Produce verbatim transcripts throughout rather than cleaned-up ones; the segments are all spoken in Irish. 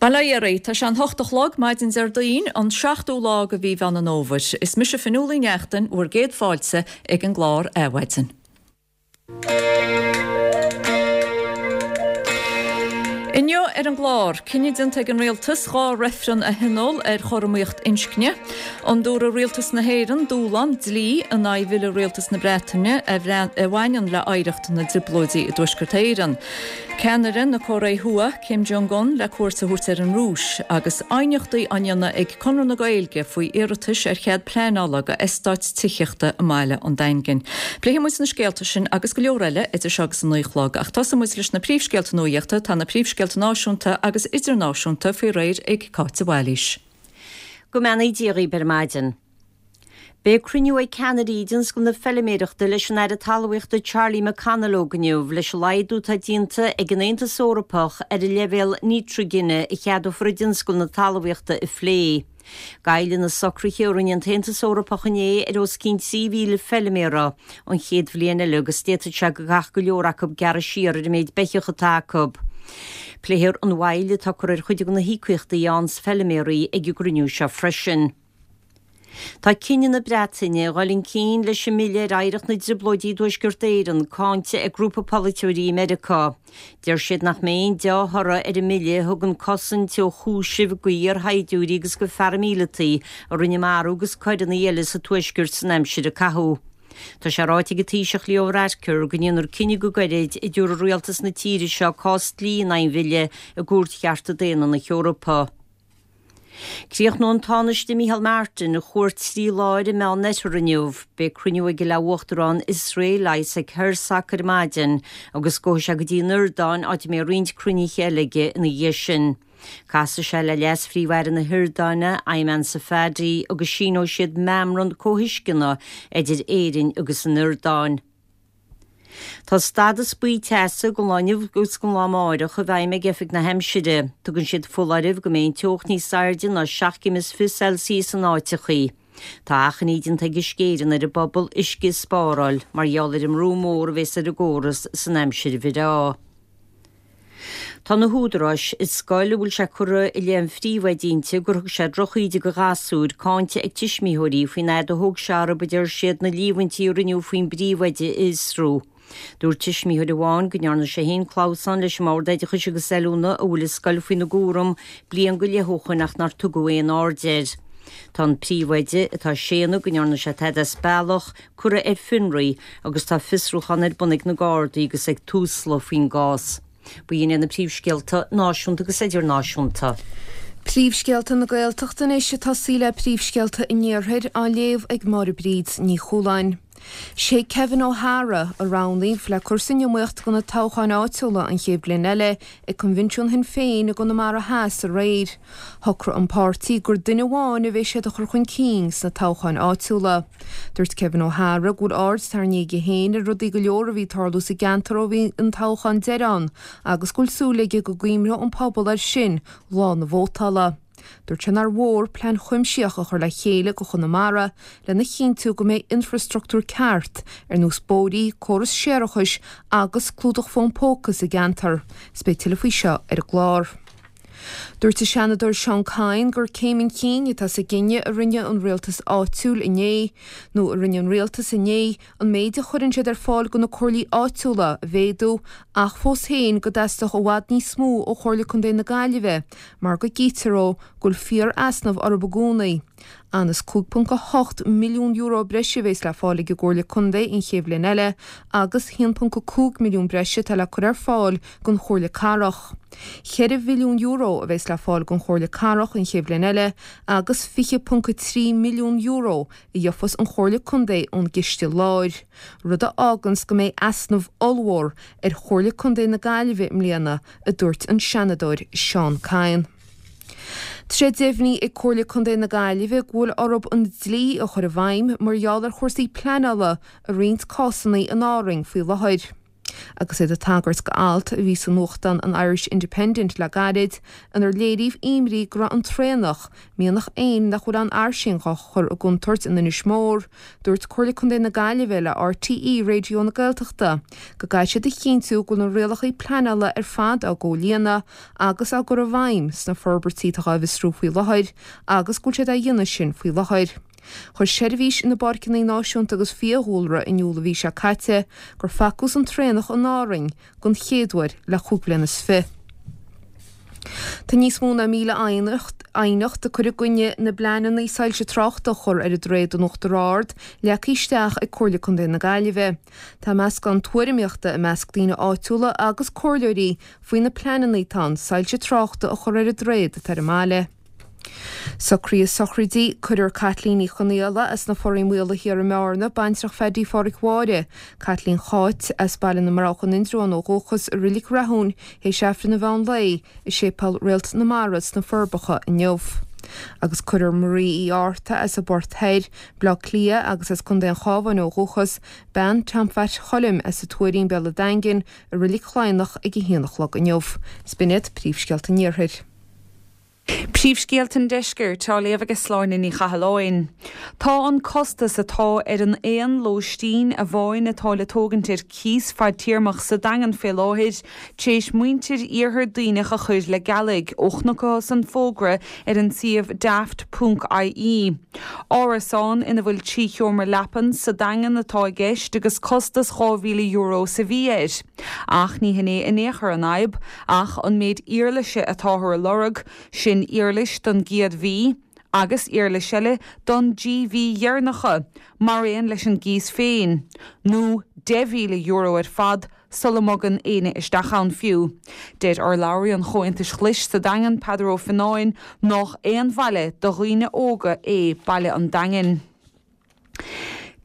Bail ó Dhia oraibh, tá sé an hocht a chlog maidin Déardaoin, an seachtú lá de mhí Mheán an Fhómhair. Is mise Fionnuala Ní Neachtain, bhur gcéad fáilte ag an gclár Adhmhaidin. Inniu ar an gclár, cinneadh déanta ag an Rialtas dhá reifreann a thionól ar chothromaíocht inscne. An dtabharfaidh Rialtas na hÉireann dúshlán dlí in aghaidh bhille Rialtas na Breataine a bhaineann le hoidhreacht na dTrioblóidí i dTuaisceart Éireann. Ceannaire na Cóiré Thuaidh, Kim Jong-un, le cuairt a thabhairt ar an Rúis, agus aighneachtaí á ndéanamh ag Conradh na Gaeilge faoi iarratais ar chead pleanála do eastáit tithíochta i mbaile an Daingin. Pléifidh muid na scéalta sin agus go leor eile idir seo agus a naoi a chlog, ach tosóidh muid leis na príomhscéalta nuachta. Tá na príomhscéalta náisiúnta agus idirnáisiúnta faoi réir ag Cáit de Bhailís. Go mbeannaí Dia dhaoibh ar maidin. Beidh cruinniú ag ceannairí i dtionscal na feiliméireachta leis an Aire Talmhaíochta Charlie McConalogue inniu leis an laghdú atá déanta ag an Aontas Eorpach ar an leibhéal nítrigine a cheadófar i dtionscal na talmhaíochta a phlé. Goillfidh na socruithe a rinne an tAontas Eorpach inné ar os cionn trí mhíle feiliméara an chéad bhliain eile agus d'fhéadfadh sé go gcaithfeadh go leor acu gearradh siar ar an méid beithíoch atá acu. Pléifear an mhoill atá curtha ar chuid de na híocaíochtaí a fhaigheanns feiliméaraí ag an gcruinniú seo freisin. Tá cinneadh na Breataine dhul chun cinn leis an mbille ar oidhreacht na dTrioblóidí i dTuaisceart Éireann cáinte ag grúpa polaiteoirí i Meiriceá. Deir siad nach mbeidh aon dea-thoradh ar an mbille a thugann cosaint ó chúisimh d'iar-shaighdiúirí agus go pharaimíleataigh a rinne marú agus coireanna eile sa Tuaisceart san aimsir a caitheadh. Tá sé ráite ag an Taoiseach Leo Varadkar go ndéanfar cinneadh go gairid an dtabharfaidh rialtas na tíre seo cás dlí in aghaidh an bhille i gCúirt Chearta Daonna na hEorpa. Críochnóidh an Tánaiste Micheál Martin a chuairt trí lá ar an Meánoirthear inniu. Beidh cruinniú aige le Uachtarán Iosrael Isaac Herzog ar maidin agus gabhfaidh sé go dtí an Iordáin áit a mbeidh roinnt cruinnithe eile aige ina dhiaidh sin. Casfaidh sé le Leas-Phríomh-Aire na hIordáine, Ayman Safadi, agus síneoidh siad meamram comhthuisceana idir Éirinn agus an Iordáin. Tá stádas buí teasa don lá inniu agus don lá amáireach i bhfeidhm ag Oifig na hAimsire. Tugann siad foláireamh go mbeidh an teocht níos airde ná seacht gcéim is fiche Celsius in áiteachaí. Tá achainí déanta ag Uisce Éireann ar an bpobal uisce a spáráil mar gheall ar an mbrú mór a bheas ar an gcóras san aimsir bhreá. Tá na húdaráis i scoil a bhfuil sé curtha i leith an phríomhoide inti gur thug sé drochíde do ghasúir cáinte ag tuismitheoirí faoin fhad a thóg sé orthu, a deir siad, na líomhaintí a rinneadh faoin bpríomhoide a fhiosrú. Dúirt tuismitheoir amháin go ndearna sé féin clamhsán leis an mBord Oideachais agus Oiliúna a bhfuil an scoil faoina gcúram bliain go leith ó shoin ach nár tugadh aon aird air. Tá an príomhoide, atá ag séanadh go ndearna sé tada as bealach, curtha ar fionraí agus tá fiosrúchán ar bun ag na Gardaí agus ag Tusla faoin gcás. B'in iad na príomhscéalta náisiúnta agus idirnáisiúnta. Príomhscéalta na Gaeltachta anois ag tosaí le príomhscéalta an Iarthair á léamh ag Máire Bríd Ní Chualáin. Sé Kevin O'Hara a roghnaíodh le cur san iomaíocht do na toghcháin áitiúla an chéad bhliain eile ag Coinbhinsiún Shinn Féin i gConamara Theas aréir. Shocraigh an páirtí gur duine amháin a bheidh siad a chur chun cinn sna toghcháin áitiúla. Dúirt Kevin O'Hara go bhfuil aird tarraingthe aige féin ar rudaí go leor a bhí ag tarlú sa gceantar ó bhí an toghchán deiridh ann agus go bhfuil súil aige go gcuimhneoidh an pobal air sin lá na vótála. Dúirt sé nár mhór plean cuimsitheach a chur le chéile do Chonamara lena chinntiú go mbeidh infreastruchtúr ceart ar nós bóithrí, córas séarachais agus clúdach fón póca sa gceantar. Is beidh tuilleadh faoi seo ar an gclár. Dúirt an Seanadóir Seán Kyne gur céim chun cinn atá sa gcinneadh a rinne an rialtas áitiúil inné, nó a rinne an rialtas inné, an méid a chuireann siad ar fáil do na comhairlí áitiúla a mhéadú ach fós féin go dteastódh i bhfad níos mó ó Chomhairle Contae na Gaillimhe mar go gcítear dó go bhfuil fíor-easnamh orthu i gcónaí. Anuas cúig ponc a hocht milliún euro breise a bheas le fáil ag an gComhairle Contae an chéad bhliain eile agus a haon ponc a cúig milliún breise atá le cur ar fáil don Chomhairle Cathrach. Ceithre mhilliún euro a bheas le fáil don Chomhairle Cathrach an chéad bhliain eile agus fiche ponc a trí milliún euro a gheofas an Chomhairle Contae ón gCiste Láir, rud a fháganns go mbeidh easnamh ollmhór ar Chomhairle Contae na Gaillimhe i mbliana, a dúirt an Seanadóir Seán Kyne. Tá sé deimhnithe ag Comhairle Contae na Gaillimhe go bhfuil orthu an dlí a chur i bhfeidhm mar gheall ar chúrsaí pleanála i roinnt cásanna in Árainn faoi láthair. Agus iad ag tagairt go alt a bhí sa nuachtán an Irish Independent le gairid, inar léiríodh imní go raibh an traonach, mianach éin nach bhfuil an-fhairsing á chur i gcontúirt in Inis Mór, dúirt Comhairle Contae na Gaillimhe le RTÉ Raidió na Gaeltachta go gcaithfidh siad a chinntiú go bhfuil na rialacha pleanála ar fad á gcomhlíonadh agus á gcur i bhfeidhm sna forbairtí atá á bhfiosrú faoi láthair agus go bhfuil siad á dhéanamh sin faoi láthair. Chuir Seirbhís na bPáirceanna Náisiúnta agus Fiadhúlra in iúl an mhí seo caite gur facthas an traonach in Árainn den chéad uair le cúig bliana is fiche. Tá níos mó ná míle aighneacht ag cur i gcoinne na bpleananna soilse tráchta a chur ar an droichead in Uachtar Ard leagtha isteach ag Comhairle Contae na Gaillimhe. Tá meascán tuairimíochta i measc daoine áitiúla agus comhairleoirí faoi na pleananna atá ann soilse tráchta a chur ar an droichead atá ar an mbaile. Socruithe sochraide, Cuirfear Caitlín Ní Chonaola as na Foraí Maola Thiar i mBearna, baintreach Pheaidí Pháraic Mháire, Caitlín Cháit as Baile na mBroghach in Indreabhán ó dhúchas, i Reilig Rathúin théis Aifreann an mheán lae i Séipéal Réalt na Mara sna Forbacha inniu. Agus cuirfear Marie Uí Fhátharta as an bPort Thoir, Baile Átha Cliath agus as Contae an Chabháin ó dhúchas, bean Tom Phat Choilm as an Tuairín, Béal an Daingin, i Reilig Chladhnach ag a haon a chlog inniu. 'S b'in iad príomhscéalta an Iarthair. Príomhscéalta an Deiscirt á léamh ag Sláine Ní Chathalláin. Tá an costas atá ar an aon lóistín amháin atá le tógaint ar cíos fadtéarmach sa Daingean fé láthair tar éis muintir iarthar Duibhneach a chur le gealaigh ó chonacthas an fógra ar an suíomh daft ponc IE. Árasán ina bhfuil trí sheomra leapan sa Daingean atá i gceist agus costas dhá mhíle euro sa mhí air. Ach ní hin é in aon chor an fhadhb ach an méid éarlaise atáthar a lorg, sin éarlais don gcéad mhí agus éarlais eile don dtrí mhí dheireanacha, mar aon leis an gcíos féin, nó deich mhíle euro ar fad sula mbogann éinne isteach ann fiú. Deir urlabhraí an Chomhaontais Ghlais sa Daingean Peadar Ó Fionnáin nach aon bhaile do dhaoine óga é baile an Daingin.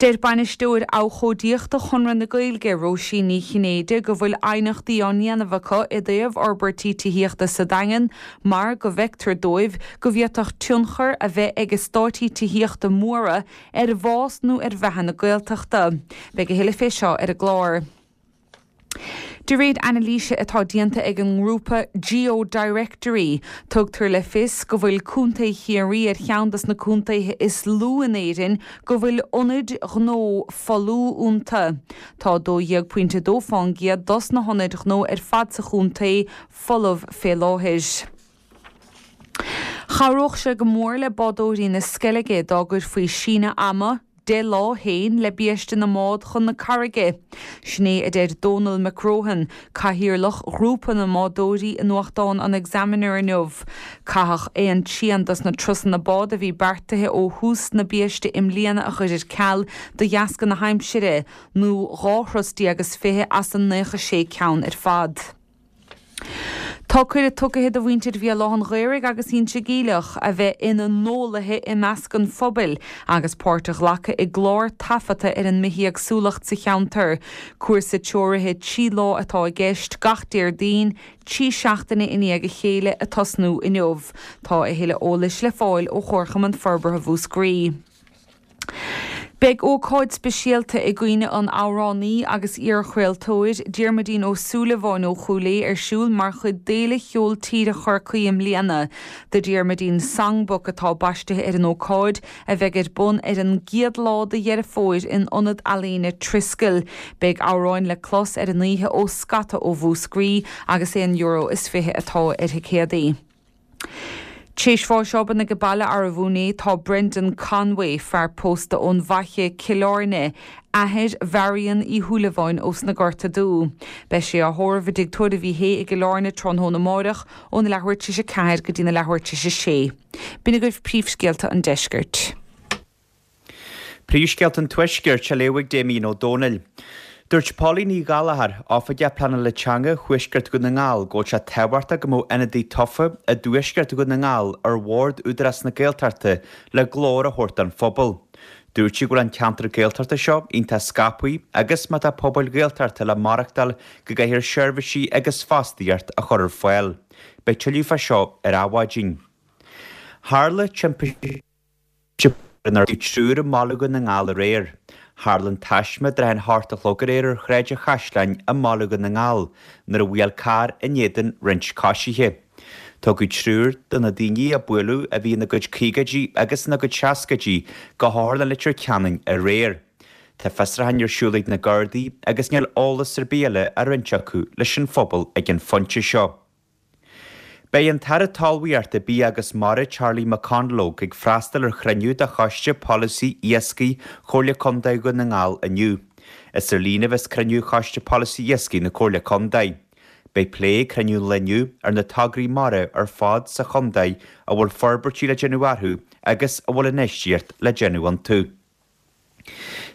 Deir bainisteoir abhcóideachta Chonradh na Gaeilge Róisín Ní Chinnéide go bhfuil aighneachtaí á ndéanamh acu i dtaobh fhorbairtí tithíochta sa Daingean mar go bhfeictear dóibh go bhféadfadh tionchar a bheith ag eastáití tithíochta móra ar bhás nó ar bheatha na Gaeltachta. Beidh a thuilleadh fé seo ar an gclár. De réir anailíse atá déanta ag an ngrúpa GeoDirectory, tugtar le fios go bhfuil Contae Chiarraí ar cheann des na contaetha is lú in Éirinn go bhfuil ionaid ghnó folamh iontu. Tá dó dhéag pointe dó faoin gcéad dos na hionaid ghnó ar fad sa chontae folamh fé láthair. Chabhródh sé go mór le bádóirí na Sceilge dá gcuirfí síneadh ama deich lá féin le biaiste na mbád chun na carraige. Sin é a deir Donal McRohan, cathaoirleach ghrúpa na mbádóirí i nuachtán an Examiner inniu. Caitheadh aon trian dos na turasanna bád a bhí beartaithe ó thús na biaiste i mbliana a chur ar ceal de dheasca na haimsire, nó dhá thuras déag agus fiche as an naocha sé ceann ar fad. Tá cuireadh tugtha do mhuintir Bhéal Átha an Ghaorthaidh agus Inse Geimhleach a bheith ina n-eolaithe i measc an phobail agus páirt a ghlacadh i gclár taifeadta ar an mbithéagsúlacht sa cheantar. Cúrsa treoraithe trí lá atá i gceist gach Déardaoin, trí seachtaine i ndiaidh a chéile ag tosnú inniu. Tá a thuilleadh eolais le fáil ó Chomharchumann Forbartha Mhúscraí. Beidh ócáid speisialta i gcuimhne an amhránaí agus iarchraoltóir Diarmuidín Ó Súilleabháin ó Chúil Aodha ar siúl mar chuid d'Fhéile Cheol Tíre Chorcaí i mbliana. The Diarmuidín Songbook atá baistithe ar an ócáid a bheidh ar bun ar an gcéad lá de Dheireadh Fómhair in Ionad Ealaíne Triskel. Beidh amhráin le clos ar an oíche ó scata ó Mhúscraí agus aon euro is fiche atá ar thicéadaí. Tar éis bháis obann ag baile arbh inné tá Brendan Conway fear pósta ón bhFaiche Cill Airne, athair Mharion Uí Shúilleabháin ós na Gorta Dubha. Beidh sé á thórramh i dTigh Tórraimh Uí Shé i gCill Airne tráthnóna amárach óna leathuair tar éis a ceathair go dtí na leathuair tar éis a sé. B'in agaibh príomhscéalta an deiscirt. Príomhscéalta an tuaiscirt á léamh ag Damien Ó Dónaill. Dúirt Pauline Ní Ghallchóir, Oifigeach Pleanála Teanga Thuaisceart Dhún na nGall go bhfuil sé tábhachtach go mbeadh ionadaí tofa i dTuaisceart Dhún na nGall ar bhord Údarás na Gaeltachta le glór a thabhairt don phobal. Dúirt sí go bhfuil an ceantar Gaeltachta seo iontach scaipthe agus má tá pobail Ghaeltachta le maireachtáil go gcaithfear seirbhísí agus fostaíocht a chur ar fáil. Beidh tuilleadh fá seo ar Adhmhaidin. Tharla timpiste inar triúr i mBaile Dhún na nGall aréir. Tharla an taisme i dtrátha an hocht a chlog aréir ar Shráid an Chaisleáin i mBaile Dhún na nGall nuair a bhuail carr in éadan roinnt coisithe. Tugadh triúr de na daoine a buaileadh, a bhí ina gcuid caogaidí agus ina gcuid seascaidí, go hOtharlann Leitir Ceanainn aréir. Tá fiosrúchán ar siúl ag na Gardaí agus níl eolas ar bith eile á roinnt acu leis an phobal ag an phointe seo. Beidh an tAire Talmhaíochta, Bia agus Mara Charlie McConalogue ag freastal ar chruinniú de Choiste Polasaí Iascaigh Chomhairle Contae Dhún na nGall inniu. Is ar líne a bheas cruinniú Choiste Polasaí Iascaigh na Comhairle Contae. Beidh plé ag cruinniú an lae inniu ar na tograí mara ar fad sa chontae a bhfuil forbairtí le déanamh orthu agus a bhfuil infheistíocht le déanamh iontu.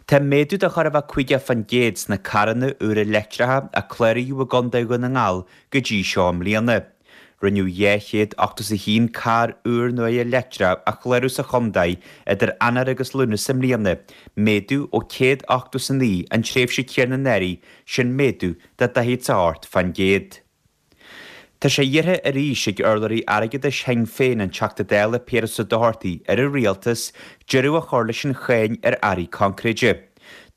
Tá méadú de chóir a bheith caoga faoin gcéad sna carranna úra leictreacha a cláraíodh i gContae Dhún na nGall go dtí seo i mbliana. Rinneadh dhá chéad ochtó is a haon carr úr nua leictreach a chlárú sa chontae idir Eanáir agus Lúnasa i mbliana, méadú ó céad ochtó is a naoi an tréimhse chéanna anuraidh, sin méadú de daichead is a hocht faoin gcéad. Tá sé iarrtha arís ag urlabhraí airgeadais Shinn Féin, an Teachta Dála Piaras Ó Dochartaigh, ar an Rialtas deireadh a chur leis an cháin ar earraí coincréide.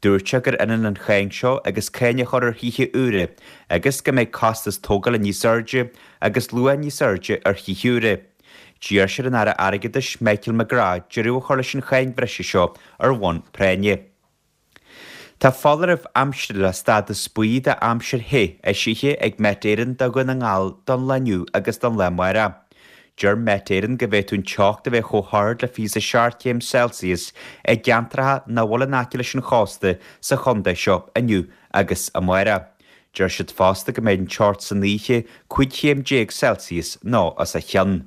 Dúirt sé gur ionann an cháin seo agus cáin a chur ar thithe úra agus go mbeidh costas tógála níos airde agus luach níos airde ar thithe úra. D'iarr sé ar an Aire Airgeadais Michael McGrath deireadh a chur leis an cháin bhreise seo ar bhonn práinne. Tá foláireamh aimsire le stádas buí d'aimsir the eisithe ag Met Éireann do Dhún na nGall don lá inniu agus don lá amárach. Deir Met Éireann go bhféadfadh an teocht a bheith chomh hard le fiche a seacht céim Celsius i gceantracha nach bhfuil in aice leis an chósta sa chontae seo inniu agus amárach. Deir siad fosta go mbeidh an teocht san oíche cúig chéim déag Celsius nó os a chionn.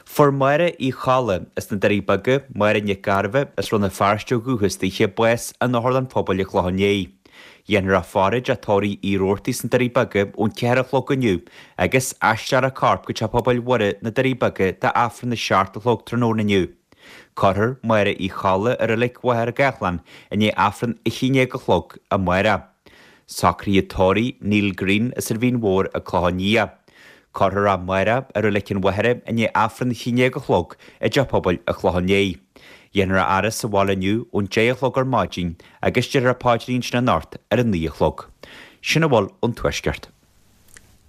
Fuair Máire Uí Cholla as na Doirí Beaga, Máire Nic Gairbheith as Rann na Feirste ó dhúchas daoithe, bás in Otharlann Pobail an Chlocháin Léith. Dhéanfar a faire i dteach tórraimh Uí Rabhartaigh sna Doirí Beaga ón ceathair a chlog inniu agus aistreofar a corp go Teach Pobail Mhuire na Doirí Beaga d'Aifreann a seacht a chlog tráthnóna inniu. Cuirfear Máire Uí Cholla i Reilig Mhachaire Gathlán i ndiaidh Aifreann a haon déag a chlog amárach. Socruithe tórraimh Neil Green as an Mhín Mhór an Clochán Liath. Cuirfear é amárach i Reilig an Mhachaire i ndiaidh Aifreann a haon déag a chlog i dTeach Pobail an Chlocháin Léith. Dhéanfar a fhaire sa bhaile inniu ón deich a chlog ar maidin agus déarfar an paidrín ansin anocht ar a naoi a chlog. Sin a bhfuil ón Tuaisceart.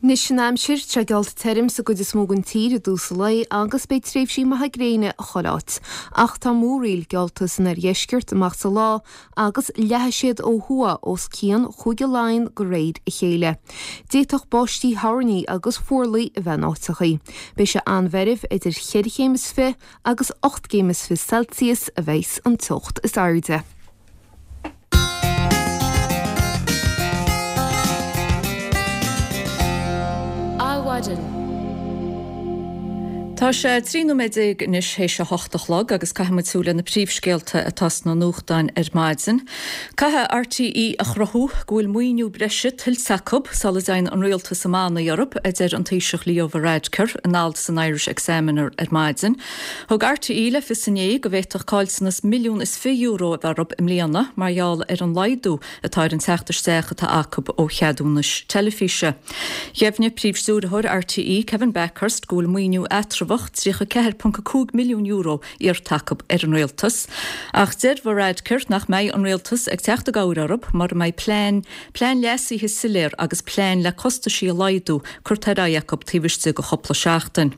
Anois an aimsir, tá sé geallta tirim sa gcuid is mó den tír i dtús an lae agus beidh tréimhsí maithe gréine chuile áit. Ach tá múraíl geallta san oirdheisceart amach sa lá agus leathfaidh siad ó thuaidh os cionn Chúige Laighean de réir a chéile. D'fhéadfadh báistí thoirní agus fuarlaigh a bheith in áiteachaí. Beidh sé an-mheirbh, idir cheithre chéim is fiche agus ocht gcéim is fiche Celsius a bheas an teocht is airde. Adhmhaidin. Tá sé trí nóiméad déag anois théis a hocht a chlog agus caithfidh muid súil ar na príomhscéalta atá sna nuachtáin ar maidin. Caithfidh RTÉ a chruthú go bhfuil maoiniú breise tuillte acu sula dtéann an rialtas i mbannaí orthu, a deir an Taoiseach Leo Varadkar in alt san Irish Examiner ar maidin. Thug RTÉ le fios inné go bhféadfadh caillteanas milliún is fiche euro a bheith orthu i mbliana mar gheall ar an laghdú atá ar an teacht isteach atá acu ó cheadúnais teilifíse. Dheimhnigh Príomhstiúrthóir RTÉ Kevin Bakhurst go bhfuil maoiniú eatramhach tríocha a ceathair ponc a cúig milliún euro iarrta acu ar an rialtas. Ach deir Varadkar nach mbeidh an rialtas ag teacht i gcabhair orthu mura mbeidh plean, plean leasaithe soiléir agus plean le costaisí a laghdú curtha ar aghaidh acu taobh istigh de chúpla seachtain.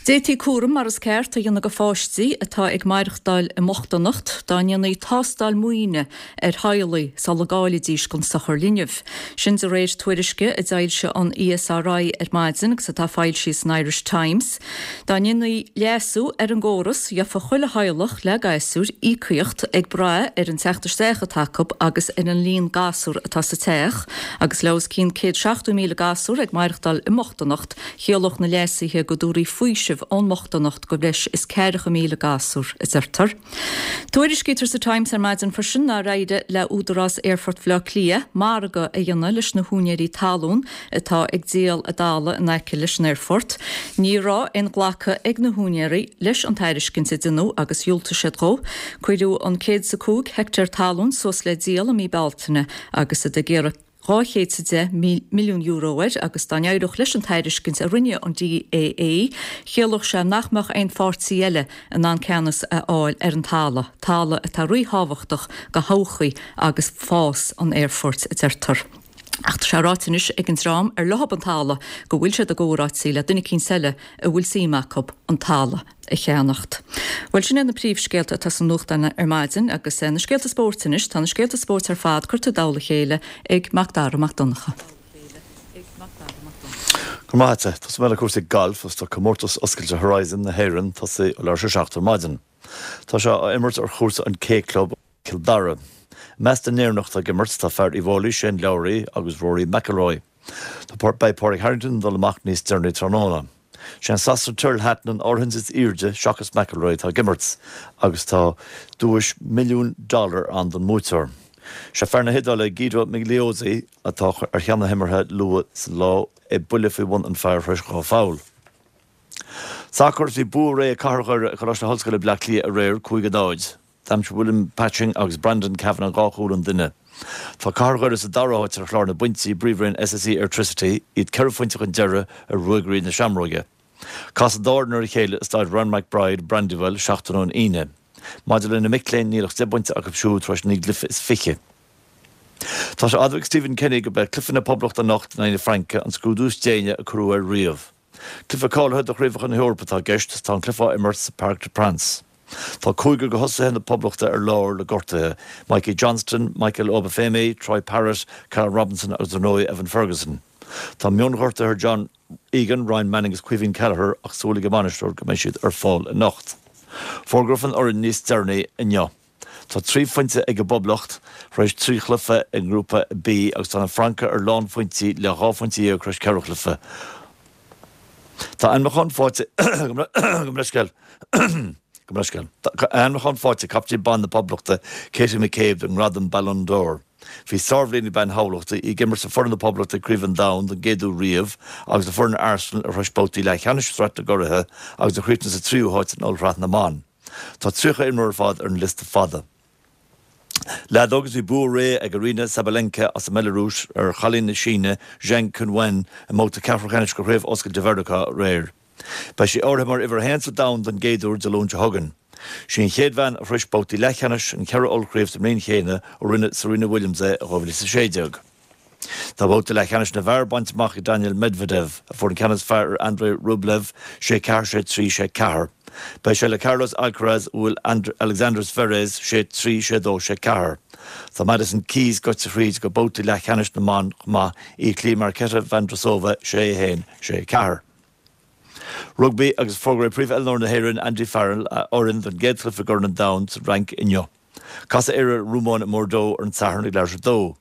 D'fhéadfaí cúram mar is ceart a dhéanamh do pháistí atá ag maireachtáil i mbochtaineacht dá ndéanfaí tástáil maoine ar theaghlaigh sula gcáileoidís don sochar linbh. Sin de réir tuairisce a d'fhoilsigh an ESRI ar maidin agus atá foilsithe san Irish Times. Dá ndéanfaí leasú ar an gcóras, gheofa chuile theaghlach le gasúir íocaíocht ag brath ar an teacht isteach atá acu agus ar an líon gasúr atá sa teach, agus le os cionn céad seachtó míle gasúr ag maireachtáil i mbochtaineacht, chiallódh na leasuithe go dtabharfaí faoiseamh ón mbochtaineacht do bhreis is ceathracha míle gasúr, a deirtear. Tuairiscítear sa Times ar maidin freisin nár éirigh le Údarás Aerfort Bhaile Átha Cliath margadh a dhéanamh leis na húinéirí talún atá ag díol a dtalamh in aice leis an aerfort. Ní raibh aon ghlacadh ag na húinéirí leis an tairiscint a deineadh agus dhiúltaigh siad dhó. Cuireadh an céad is a cúig heicteár talún suas le díol i mí Bealtaine agus iad ag iarraidh dhá chéad is a deich milliún euro air agus dá n-éireodh leis an tairiscint a rinne an DAA, chiallódh sé nach mbeadh aon pháirtí eile in ann ceannas a fháil ar an talamh, talamh atá ríthábhachtach do thodhchaí agus fás an aerfoirt, a deirtear. Ach tá sé ráite anois ag an dream ar leo an talamh go bhfuil siad i gcomhráití le duine eicínt eile a bhfuil suim acu an talamh a cheannacht. Bhuel, sin iad na príomhscéalta atá sna nuachtáin ar maidin agus na scéalta spóirt anois. Tá na scéalta spóirt ar fad curtha i dtoll a chéile ag Mac Dara Mac Donncha. Go raibh maith agat. Tosóidh mé le cúrsaí gailf agus tá comórtas oscailte Horizon na hÉireann tosaithe ó leathuair tar éis a seacht ar maidin. Tá sé á imirt ar chúrsa an K Club, Cill Dara. I measc na nÉireannach atá ag imirt tá fear Uíbh Fhailí, Shane Lowry agus Rory McIlroy. Tá Beidh Pádraig Harrington ag dul amach níos deireanaí tráthnóna. Sé an Sasanach Tyrrell Hatton an áirithint is airde seachas McIlroy atá ag imirt agus tá duais milliún dollar ann don mbuaiteoir. Sé fear na hIodáile Guido Migliozzi atá ar cheann na himeartha luath sa lá é buille faoi bhun an phar tar éis dhá pholl. Sacar Bhí bua réidh ag Cathair Dhoire ar Choláiste na hOllscoile Bleá Cliath aréir, cúig a náid. D'aimsigh William Patching agus Brandon Kavanagh dhá chúl an duine. Tá Cathair Dhoire sa dara háit ar chlár na bpointí i bPríomhroinn SSE Airtricity, iad ceithre phointe chun deiridh ar Ruagairí na Seamróige. Casfaidh an dá fhoireann ar a chéile i Staid Ryan McBride, Brandywell, seachtain ón Aoine. Maidir le na mic léinn, níl ach deich bpointe acu siúd tar éis naoi gcluiche is fiche. Tá sé admhaithe ag Stephen Kenny gurb é cluiche na Poblachta anocht in aghaidh na Fraince an scrúdú is déine a cuireadh air riamh. Cluiche cáilithe do Chraobhacha na hEorpa atá i gceist agus tá an cluiche á imirt sa Parc des Princes. Tá cúigear de thosaithe na Poblachta ar lár le gortuithe, Mikey Johnston, Michael Obafemi, Troy Parrott, Callum Robinson agus ar ndóigh Evan Ferguson. Tá mionghortuithe ar John Egan, Ryan Manning agus Caoimhín Kelleher ach súil ag an mbainisteoir go mbeidh siad ar fáil anocht. Fógrófar an fhoireann níos deireanaí inniu. Tá trí phointe ag an bPoblacht tar éis trí chluiche i nGrúpa B agus tá na Francaigh ar lánphointí le dhá phointe dhéag tar éis ceithre chluiche. Tá ainmniúchán faighte Gabh mo leithscéal Gabh mo leithscéal Tá ainmniúchán faighte ag captaen ban na Poblachta, Katie McCabe don ngradam Ballon d'Or. Bhí sárbhliain ag bean Thamhlachta, í ag imirt le foireann na Poblachta ag Craobh an Domhain don gcéad uair riamh agus le foireann Arsenal a shrois babhtaí leathcheannais Sraith na gCuraithe agus a chríochnaigh sa tríú háit in Ollshraith na mBan. Tá tríocha imreoir ar fad ar an liosta fada. Leadóg agus bhí bua réidh ag Aryna Sabalenka as an mBeilearúis ar chailín na Síne, Zheng Qinwen, i mbabhta ceathrú ceannais de Chraobh Oscailte Mheiriceá aréir. Beidh sí áirithe mar uimhir a haon sa domhan don gcéad uair Dé Luain seo chugainn. Sí an chéad bhean a shrois babhtaí leathcheannais an cheithre ollchraobh sa mbliain chéanna ó rinne Serena Williams é i dhá mhíle is a sé déag. Tá babhta leathcheannais na bhfear bainte amach ag Daniil Medvedev, a fuair an ceann is fearr ar Andrei Rublev, sé ceathair, sé trí, sé ceathair. Beidh sé le Carlos Alcaraz a bhuail Alexander Zverev, sé trí, sé dó, sé ceathair. Tá Madison Keys gaibhte thríd go babhta leathcheannais na mban chomh maith, í ag cloí Marketa Vondrousova, sé a haon, sé a ceathair. Rugbaí agus fógraíodh príomhoiliúnóir na hÉireann, Andy Farrell, a fhoireann don gcéad chluiche i gCorn an Domhain sa Fhrainc inniu. Casfaidh Éire ar an Rómáin i mBordeaux ar an Satharn ag leathuair tar éis a dó.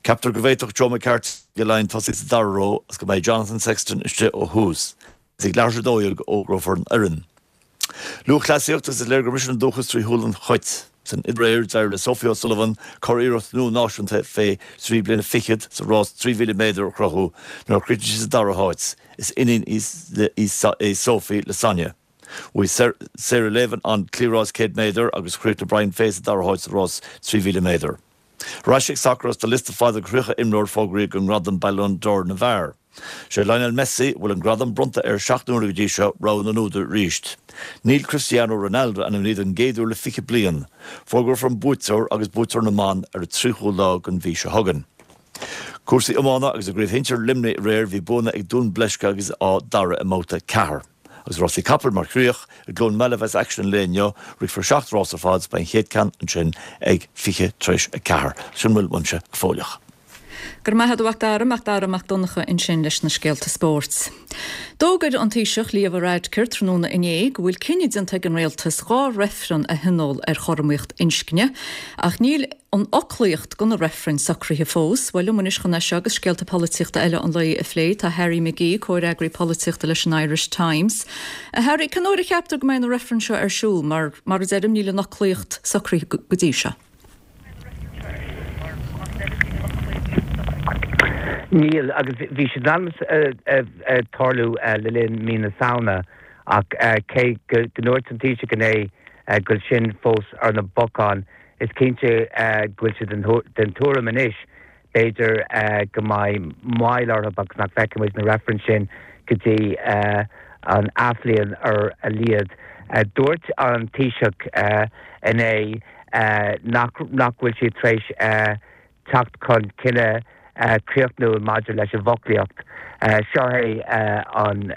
Ceaptar go bhféadfadh Joe McCarthy ag Laighin tosaí sa dara ró agus go mbeidh Jonathan Sexton istigh ó thús. Is ag leathuair tar éis a dó dhéag a fhógrófar an fhoireann. Lúthchleasaíocht agus is léir gur miste an dúchas trí shúil an chait. San fhidréir, d'éirigh le Sophie O'Sullivan curiarracht nua náisiúnta fé thrí bliana fichead sa rás trí mhíle méadar a chruthú nuair a chríochnaigh sí sa dara háit. Is iníon í Sophie le Sonia. Bhuaigh Sarah Lavin an cliathrás céad méadar agus chríochnaigh Brian Fay sa dara háit sa rás trí mhíle méadar. Ar ais ag sacar agus tá liosta fada de thríocha imreoir fógraithe don ngradam Ballon d'Or na bhfear. Sé Lionel Messi, a bhfuil an gradam bronnta air seacht n-uaire go dtí seo, rogha na n-údar arís. Níl Cristiano Ronaldo ainmnithe don gcéad uair le fiche bliain. Fógrófar an buaiteoir agus buaiteoir na mban ar an tríochú lá den mhí seo chugainn. Cúrsaí iomána agus i gCraobh Shinsir Luimnigh aréir bhí buanna ag Dún Bleisce agus Áth Dara i mbabhta ceathair. Agus rásaí capall mar chríoch, i gCluain Meala a bheas aicsean an lae inniu, rithfear seacht rás ar fad is beidh an chéad ceann ansin ag fiche tar éis a ceathair. Sin a bhfuil uaimse go fóilleach. Go raibh maith agat a Mhac Dara, Mac Dara Mac Donncha ansin leis na scéalta spóirt. D'fhógair an Taoiseach Leo Varadkar tráthnóna inné go bhfuil cinneadh déanta ag an Rialtas dhá reifreann a thionól ar chothromaíocht inscne ach níl an fhoclaíocht do na reifrinn socraithe fós. Bhuel, liom anois chun é seo agus scéalta polaitíochta eile an lae a phlé tá Harry McGee, comhfhreagraí polaitíochta leis an Irish Times. A Harry, cén uair a cheaptar go mbeidh na reifrinn seo ar siúl mar, mar a deirim, níl an fhoclaíocht socraithe go dtí seo? Níl, agus bhí siad in ainm tarlú le linn mí na Samhna ach cé go ndúirt an Taoiseach inné go bhfuil sin fós ar na bacáin, is cinnte go bhfuil siad den tuairim anois, B'fhéidir go mbeidh moill orthu agus nach bhfeicfidh muid na reifrinn sin go dtí an athbhliain ar a laghad. Dúirt an Taoiseach inné nach nach bhfuil siad tar éis teacht chun cinneadh críochnúil maidir leis an bhfoclaíocht. Seo é an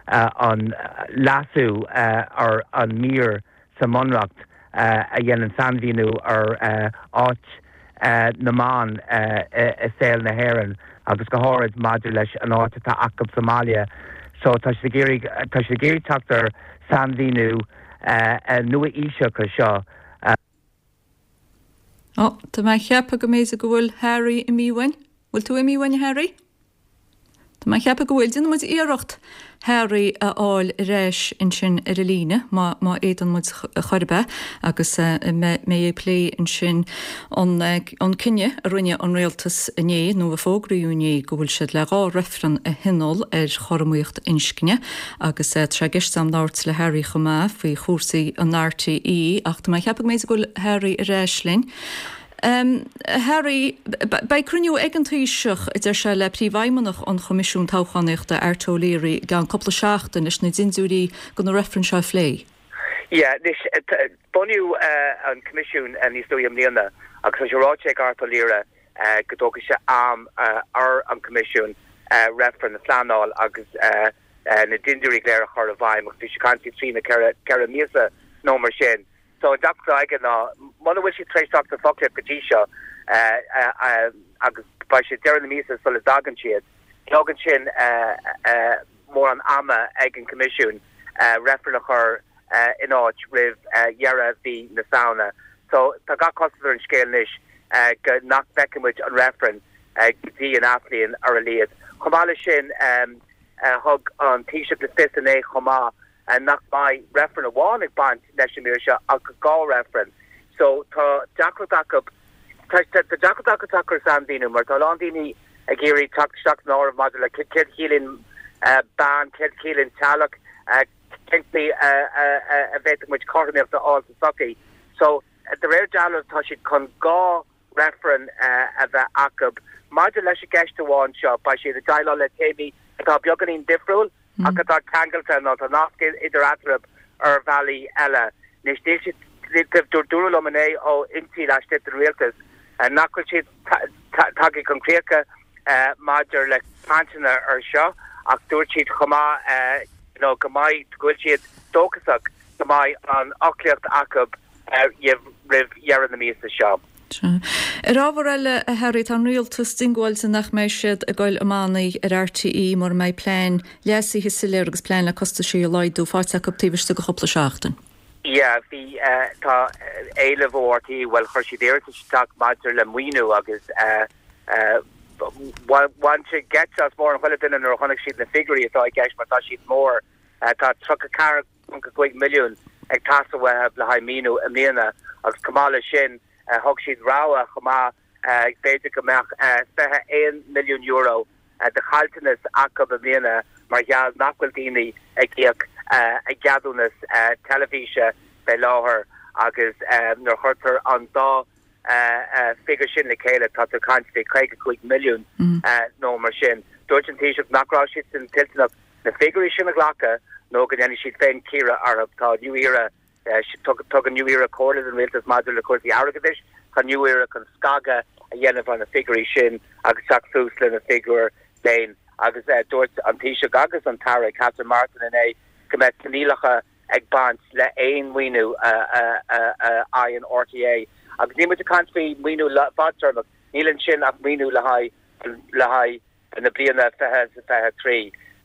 an leasú ar an mír sa mBunreacht a dhéanann sainmhíniú ar áit na mban i saol na hÉireann agus go háirid maidir leis an áit atá acu sa mbaile. So tá siad ag iarraidh tá siad ag iarraidh teacht ar sainmhíniú nua-aoiseach ar seo. Ó, tá mé ag ceapadh go mb'fhéidir go bhfuil Harry imithe uainn. Bhfuil tú imithe uainn, a Harry? Tá mé ag ceapadh go bhfuil. Déanfaidh muid iarracht Harry a fháil ar ais ansin ar an líne, má má fhéadann muid chor ar bith, agus mé ag plé ansin an an cinneadh a rinne an rialtas inné, nó a fógraíodh inné, go bhfuil siad le dhá reifreann a thionól ar chothromaíocht inscne, agus tá sé i gceist agam labhairt le Harry chomh maith faoi chúrsaí an RTÉ, ach tá mé ag ceapadh go mb'fhéidir go bhfuil Harry ar ais linn. Harry, beidh cruinniú ag an Taoiseach, a deir sé, le Príomhfheidhmeannach an Choimisiúin Toghchánaíochta, Art O'Leary, i gceann cúpla seachtain leis na dindiúirí do na reifrinn seo a phlé. Yeah, anois, bunaíodh an Coimisiún níos luaithe i mbliana agus tá sé ráite ag Art O'Leary go dtógfaidh sé am ar an Coimisiún reifreann a phleanáil agus na dindiúirí go léir a chur i bhfeidhm agus bhí sé ag caint faoi trí nó ceithre míosa nó mar sin. So an deacracht atá aige ná muna bhfuil siad tar éis teacht ar foclaíocht go dtí seo agus beidh sé deireadh na míosa sula dtagann siad, ní fhágann sin mórán ama ag an Coimisiún reifreann a chur in áit roimh dheireadh mhí na Samhna. So tá gach cosúlacht ar an scéal anois go nach bhfeicfidh muid an reifreann go dtí an athbhliain ar a laghad. Chomh maith leis sin thug an Taoiseach le fios inné chomh maith nach mbeidh reifreann amháin ag baint leis an mír seo ach dhá reifreann. So tá deacracht acu, tá deacracht acu teacht ar sainmhíniú mar tá a lán daoine ag iarraidh teacht isteach san áireamh maidir le céard a chiallaíonn bean, céard a chiallaíonn teaghlach, cén chaoi a bhféadfadh muid cothromaíocht a fháil sa tsochaí. So de réir dealraimh tá siad chun dhá reifreann a bheith acu. Maidir leis an gceist amháin seo, beidh siad ag déileáil le téamaí atá beagáinín difriúil ach atá ceangailte nó tá nasc idir eatarthu ar bhealaí eile. Anois, níl siad, dúradh liom inné ó fhoinsí laistigh den rialtas nach bhfuil siad tagtha chun críocha maidir le cainteanna ar seo ach dúirt siad chomh maith go mbeidh, go bhfuil siad dóchasach go mbeidh an fhoclaíocht acu roimh dheireadh na míosa seo. Ar ábhar eile, a Harry, tá an rialtas diongbháilte nach mbeidh siad ag goil i mbannaí ar RTÉ mura mbeidh plean leasaithe soiléir agus plean le costaisí a laghdú faighte acu taobh istigh de chúpla seachtain. Yeah, bhí, tá éileamh ó RTÉ, bhuel chuir siad iarratas isteach maidir le maoiniú agus bhain sé geit as mórán chuile duine nuair a chonaic siad na figiúirí atá i gceist mar tá siad mór. Tá tríocha ceathair ponc cúig milliún ag teastáil uathu le haghaidh maoiniú i mbliana agus chomh maith leis sin thug siad rabhadh chomh maith b'fhéidir go mbeadh fiche aon milliún euro de chaillteanas acu i mbliana mar gheall nach bhfuil daoine ag íoc a gceadúnas teilifíse fé láthair agus nuair a chuirtear an dá figiúr sin le chéile tá tú ag caint faoi caoga cúig milliún nó mar sin. Dúirt an Taoiseach nach raibh siadsan toilteanach na figiúirí sin a ghlacadh nó go ndéanfaidh siad féin cíoradh orthu. Tá New Era, tugann New Era comhairle don rialtas maidir le cúrsaí airgeadais. Tá New Era chun scagadh a dhéanamh ar na figiúirí sin agus teacht suas lena bhfigiúr féin. Agus dúirt an Taoiseach agus an tAire Catherine Martin inné go mbeidh coinníollacha ag baint le haon mhaoiniú a fhaigheann RTÉ. Agus níl muid ag caint faoi mhaoiniú fadtéarmach, níl ansin ach maoiniú le haghaidh le haghaidh na bliana fiche fiche trí.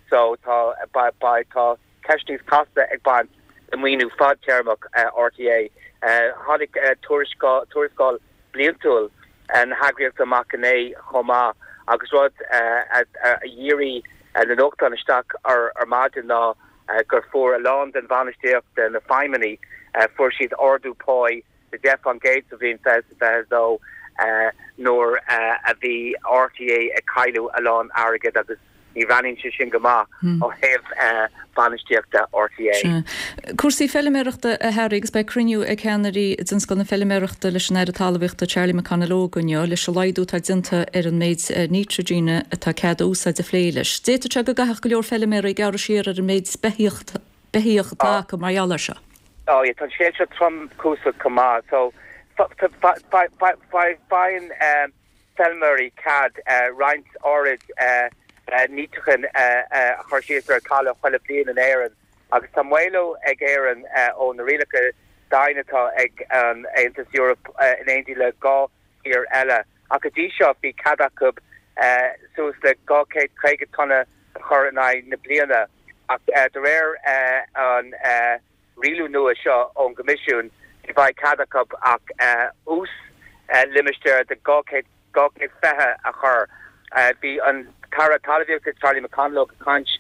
So tá tá ceist níos casta ag baint le maoiniú fadtéarmach RTÉ. Tháinig tuarascáil bliantúil na heagraíochta amach inné chomh maith agus rud a dhírigh na nuachtáin isteach ar ar maidin ná gur fuair a lán den bhainistíocht, de na feidhmeannaigh, fuair siad ardú páí de deich faoin gcéad sa bhliain fiche fiche dó nuair a bhí RTÉ ag cailleadh a lán airgid agus Ní bhreathnaíonn sé sin go maith ó thaobh bainistíochta RTÉ. Sea. Cúrsaí feiliméarachta a Harry agus beidh cruinniú ag ceannairí tionscal na feiliméarachta leis an Aire Talmhaíochta Charlie McConalogue inniu leis an laghdú atá déanta ar an méid nítrigine atá cead a úsáid a phlé leis. D'fhéadfadh sé go gcaithfeadh go leor feiliméaraí gearradh siar ar an méid beithíoch atá acu mar gheall air seo. Oh yeah, tá an scéal seo tromchúiseach chomh maith. So faigheann feilméaraí cead roinnt áirid nítrigin a chur síos ar talamh chuile bliain in Éirinn agus tá maolú ag Éirinn ó na rialacha dian atá ag an Aontas Eorpach in éindí le dhá thír eile. Ach go dtí seo bhí cead acu suas le dhá chéad caoga tonna a chur in aghaidh na bliana ach de réir an rialú nua seo ón gCoimisiún ní bheidh cead acu ach uas limistéar de dhá chéad dhá chéad fiche a chur. Bhí an tAire Talmhaíochta Charlie McConalogue ag caint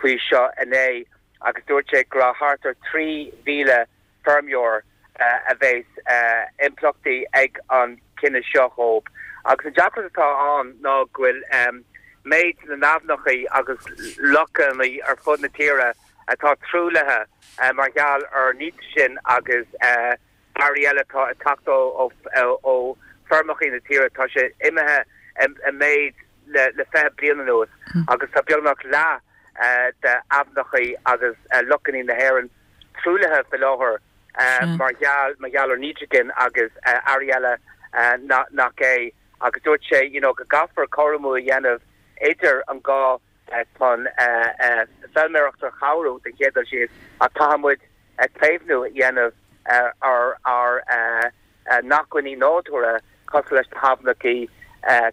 faoi seo inné agus dúirt sé go raibh thart ar trí mhíle feirmeoir a bheas impleachtaí ag an cinneadh seo dhóibh. Agus an deacracht atá ann ná go bhfuil méid na n-aibhneacha agus lochanna ar fud na tíre atá truaillithe mar gheall ar nítrigin agus earraí eile atá ag teacht ó feirmeacha na tíre, tá sé imithe i méid le fiche bliain anuas agus tá beagnach leath d'aibhneacha agus lochanna na hÉireann truaillithe faoi láthair mar gheall mar gheall ar nítrigin agus earraí eile nach é agus dúirt sé you know go gcaithfear cothromú a dhéanamh idir an gá chun feilméireacht a chabhrú den chéad dul síos ach caithfidh muid caomhnú a dhéanamh ar ár n-acmhainní nádúrtha cosúil leis na haibhneacha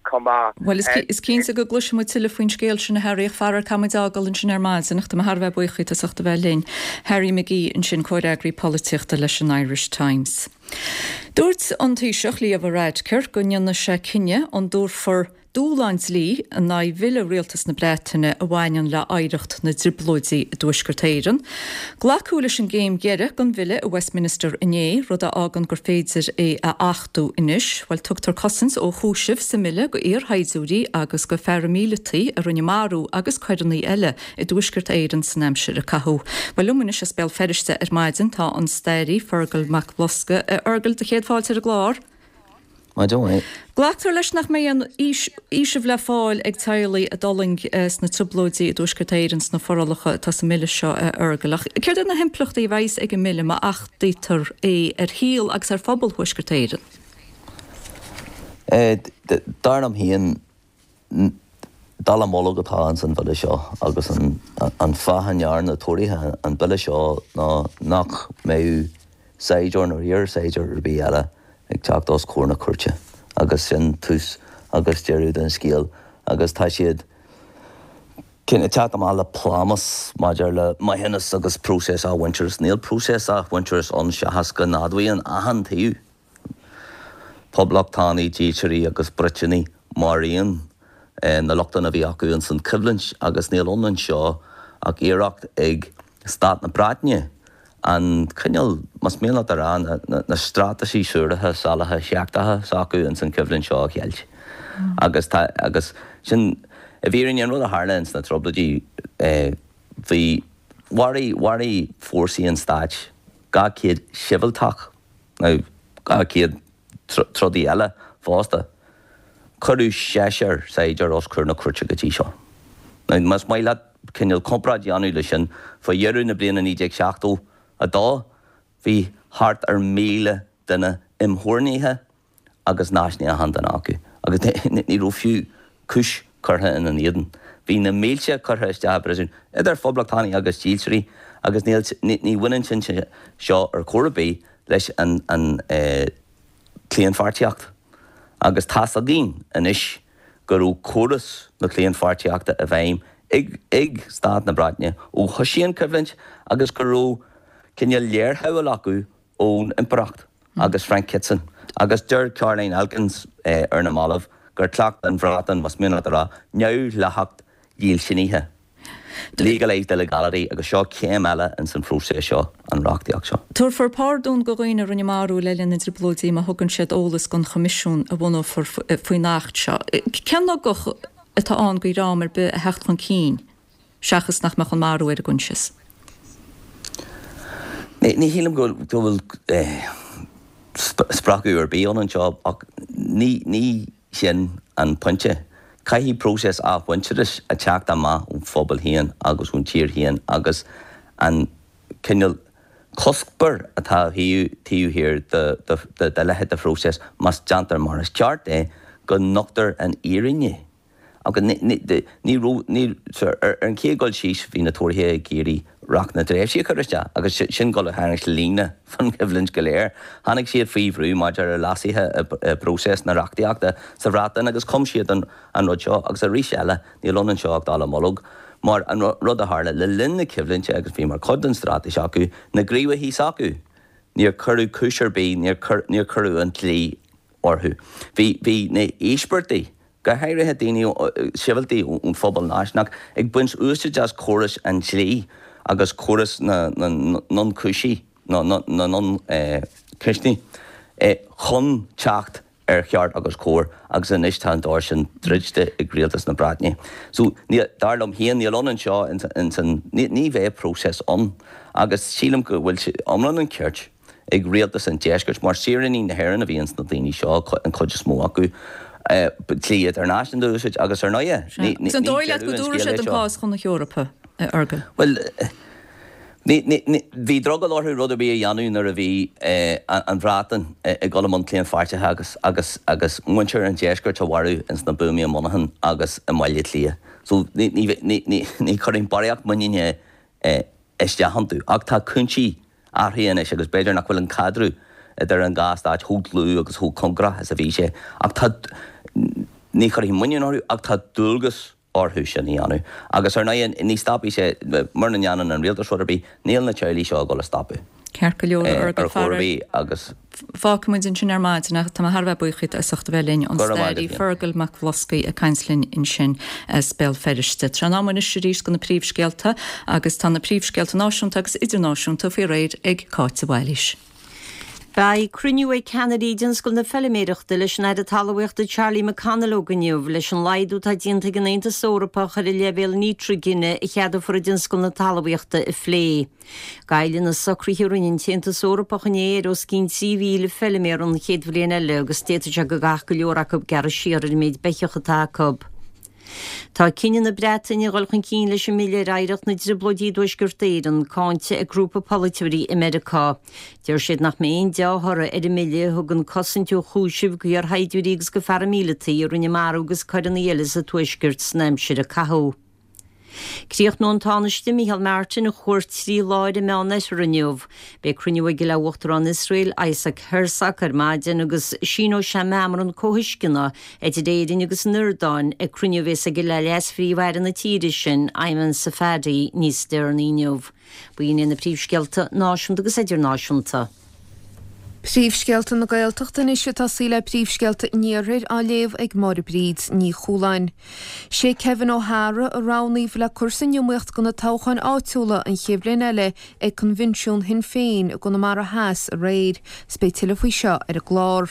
chomh maith. Bhuel, is cinnte go gcloisfidh muid tuilleadh faoin scéal sin, a Harry, ach faraor caithfidh muid fhágáil ansin ar maidin, ach tá mé thar a bheith buíoch díot as ucht a bheith linn. Harry McGee ansin, comhfhreagraí polaitíochta leis an Irish Times. Dúirt an Taoiseach Leo Varadkar go ndéanfaidh sé cinneadh an dtabharfar dúshlán dlí in aghaidh bhille Rialtas na Breataine a bhaineann le hoidhreacht na dTrioblóidí i dTuaisceart Éireann. Glacadh leis an gcéim dheiridh den bhille i Westminster inné, rud a fhágann gur féidir é a achtú anois. Bhuel, tugtar cosaint ó chúiseamh sa mbille go iarshaighdiúirí agus go pharaimíleataigh a rinne marú agus coireanna eile i dTuaisceart Éireann san aimsir a caitheadh. Bhuel, liom anois as Béal Feirste ar maidin tá an staraí Fergal Mac Bhlosca. A Fhergal, do chéad fáilte ar an gclár. Maidin mhaith. Glactar leis nach mbeidh aon fhaoiseamh le fáil ag teaghlaigh a d'fhulaing sna Trioblóidí i dTuaisceart Éireann sna forálacha atá sa mbille seo, a Fhergal. Ach céard iad na himpleachtaí a bheas ag an mbille má achtaítear é ar shaol agus ar phobal Thuaisceart Éireann? Dar liom féin, dallamullóg atá ins an bhille seo agus an fáth a ndearna Tóraithe an bille seo ná nach mbeadh saighdiúir nó iar-shaighdiúir ar bith eile ag teacht os comhair na cúirte agus sin tús agus deireadh den scéal agus tá siad ag teacht amach le plámás maidir le maithiúnas agus próiseas athmhuintearais. Níl próiseas athmhuintearais ann seachas go n-admhaíonn achan taobh, poblachtánaigh, dílseoirí agus Briotanaigh maraon na lochtanna a bhí acu ins an choimhlint agus níl ann anseo ach iarracht ag Stát na Breataine an cineál, más mian leat a rá, na straitéisí suaraithe, salaithe, seachtacha s'acu ins an choimhlint seo a cheilt. Agus tá, agus sin, i bhfírinne, an rud a tharla ins na Trioblóidí, bhí, mharaigh, mharaigh fórsaí an stáit dhá chéad sibhialtach, now, dhá chéad trodaí eile fosta. Cuireadh seisear saighdiúir os comhair na cúirte go dtí seo. Now, más maith leat cineál comparáid a dhéanamh leis sin, faoi dheireadh na bliana naoi déag seachtó a dó, bhí thart ar mhíle duine imtheorannaithe agus náisiúnaithe achan duine acu, agus ní raibh fiú cúis curtha ina n-éadan. Bhí na mílte curtha isteach i bpríosún, idir phoblachtánaigh agus dhílseoirí, agus níl, ní bhaineann sin seo ar chor ar bith leis an claonpháirtíocht. Agus tá's againn anois go raibh córas na claonpháirtíochta i bhfeidhm ag ag Stát na Breataine ó thoisigh an choimhlint agus go raibh cineál léirshamhail acu ón Impireacht agus Frank Kitson. Agus deir Caroline Elkins ar na mallaibh gur chleacht an Bhreatain, más mian leat a rá, neamhdhleathacht dhílseanaithe. Legalised illegality agus seo céim eile ins an phróiseas seo, an reachtaíocht seo. Tabharfar pardún do dhaoine a rinne marú le linn na dTrioblóidí má thugann siad eolas don choimisiún a bhunófar faoin Acht seo. Cén ugach atá ann go dhream ar bith a theacht chun cinn seachas nach mbeadh an marú ar a gcoinsias? Ní shílim go bhfuil spreagadh ar bith ann anseo ach ní sin an pointe. Caithfidh próiseas athmhuintearais a theacht amach ón phobal féin agus ón tír féin agus an cineál cuspóir atá taobh thiar de leithéid de phróiseas, más déantar mar is ceart é, go nochtar an fhírinne. Agus ní raibh, ar an chéad dul síos, bhí na Tóraithe ag iarraidh Reacht na dTréimhsí a chur isteach agus sin dul ag tarraingt líne fán choimhlint go léir. Tháinig siad faoi bhrú maidir le leasuithe i bpróiseas na reachtaíochta sa Bhreatain agus chum siad an rud seo agus arís eile níl ann anseo ach dallamullóg mar an rud a tharla le linn na coimhlinte agus bhí mar chuid den straitéis acu, na gníomhaithe s'acu, níor cuireadh cúis ar bith, níor cuireadh an dlí orthu. Bhí bhí na híospartaigh, go háirithe daoine sibhialtaigh ón phobal náisiúnach, ag baint úsáid as córas an dlí agus córas na n-ionchúisí, na n-ionchoisní, chun teacht ar cheart agus cóir agus anois tá an doras sin druidte ag rialtas na Breataine. So, dar liom féin, níl ann anseo ins an, ní bheidh próiseas ann agus sílim go bhfuil iomlán an chirt ag rialtas an deiscirt, mar saoránaigh na hÉireann a bhí ins na daoine seo, an chuid is mó acu, dlí idirnáisiúnta a úsáid agus ar ndóighe, ní Agus an dóigh leat deireadh go an dtabharfaidh scéal siad é an seo. cás chun na hEorpa, a Fheargail? Bhuel, ní, ní, ní, bhí drogall orthu rud ar bith a dhéanamh nuair a bhí an Bhreatain ag dul i mbun claonpháirtithe agus, agus, agus muintir an deiscirt a mharú ins na buamaí i Monaghan agus i mBaile Átha Cliath. So, ní, ní, ní, ní, ní chuirfinn barraíocht muiníne isteach iontu. Ach tá cúinsí athraithe anois agus b'fhéidir nach bhfuil an caidreamh idir an dhá stát chomh dlúth agus chomh cóngarach is a bhí sé. Ach tá, ní chuirfinn muinín orthu ach tá dualgas orthu sin a dhéanamh. Agus ar ndóigh ní stopfaidh sé, mura ndéanann an rialtas rud ar bith, níl na teaghlaigh seo ag dul a stopadh. Ceart go leor, ar a chor ar bith agus. Fágfaidh muid ansin ar maidin ach tá mé thar a bheith buíoch díot as ucht a bheith linn, an Go raibh maith staraí agat. Fergal Mac Bhloscaidh ag caint linn ansin as Béal Feirste. Tráth an ama anois arís do na príomhscéalta agus tá na príomhscéalta náisiúnta agus idirnáisiúnta faoi réir ag Cáit de Bhailís. Beidh cruinniú ag ceannairí thionscal na feiliméireachta leis an Aire Talmhaíochta Charlie McConalogue inniu leis an laghdú atá déanta ag an Aontas Eorpach ar an leibhéal nítrigine a cheadófar i dtionscal na talmhaíochta a phlé. Goillfidh na socruithe a rinne an tAontas Eorpach inné ar os cionn trí mhíle feiliméar an chéad bhliain eile agus d'fhéadfadh sé go gcaithfeadh go leor acu gearradh siar ar an méid beithíoch atá acu. Tá cinneadh na Breataine a dhul chun cinn leis an mBille ar Oidhreacht na dTrioblóidí i dTuaisceart Éireann cáinte ag grúpa polaiteoirí i Meiriceá. Deir siad nach mbeidh aon dea-thoradh ar an mbille a thugann cosaint ó chúiseamh d'iarshaighdiúirí agus do pharaimíleataigh a rinne marú agus coireanna eile sa Tuaisceart san aimsir a caitheadh. Críochnóidh an Tánaiste Micheál Martin a chuairt trí lá ar an Meánoirthear inniu. Beidh cruinniú aige le Uachtarán Iosrael Isaac Herzog ar maidin agus síneoidh sé meamram comhthuisceana idir Éirinn agus an Iordáin ag cruinniú a bheas aige le Leas-Phríomh-Aire na tíre sin, Ayman Safadi, níos deireanaí inniu. B'in iad na príomhscéalta náisiúnta agus idirnáisiúnta. Príomhscéalta na Gaeltachta anois ag tosaí le príomhscéalta an Iarthair á léamh ag Máire Bríd Ní Chualáin. Sé Kevin O'Hara a roghnaíodh le cur san iomaíocht do na toghcháin áitiúla an chéad bhliain eile ag Coinbhinsiún Shinn Féin i gConamara Theas aréir. 'S beidh tuilleadh faoi seo ar an gclár.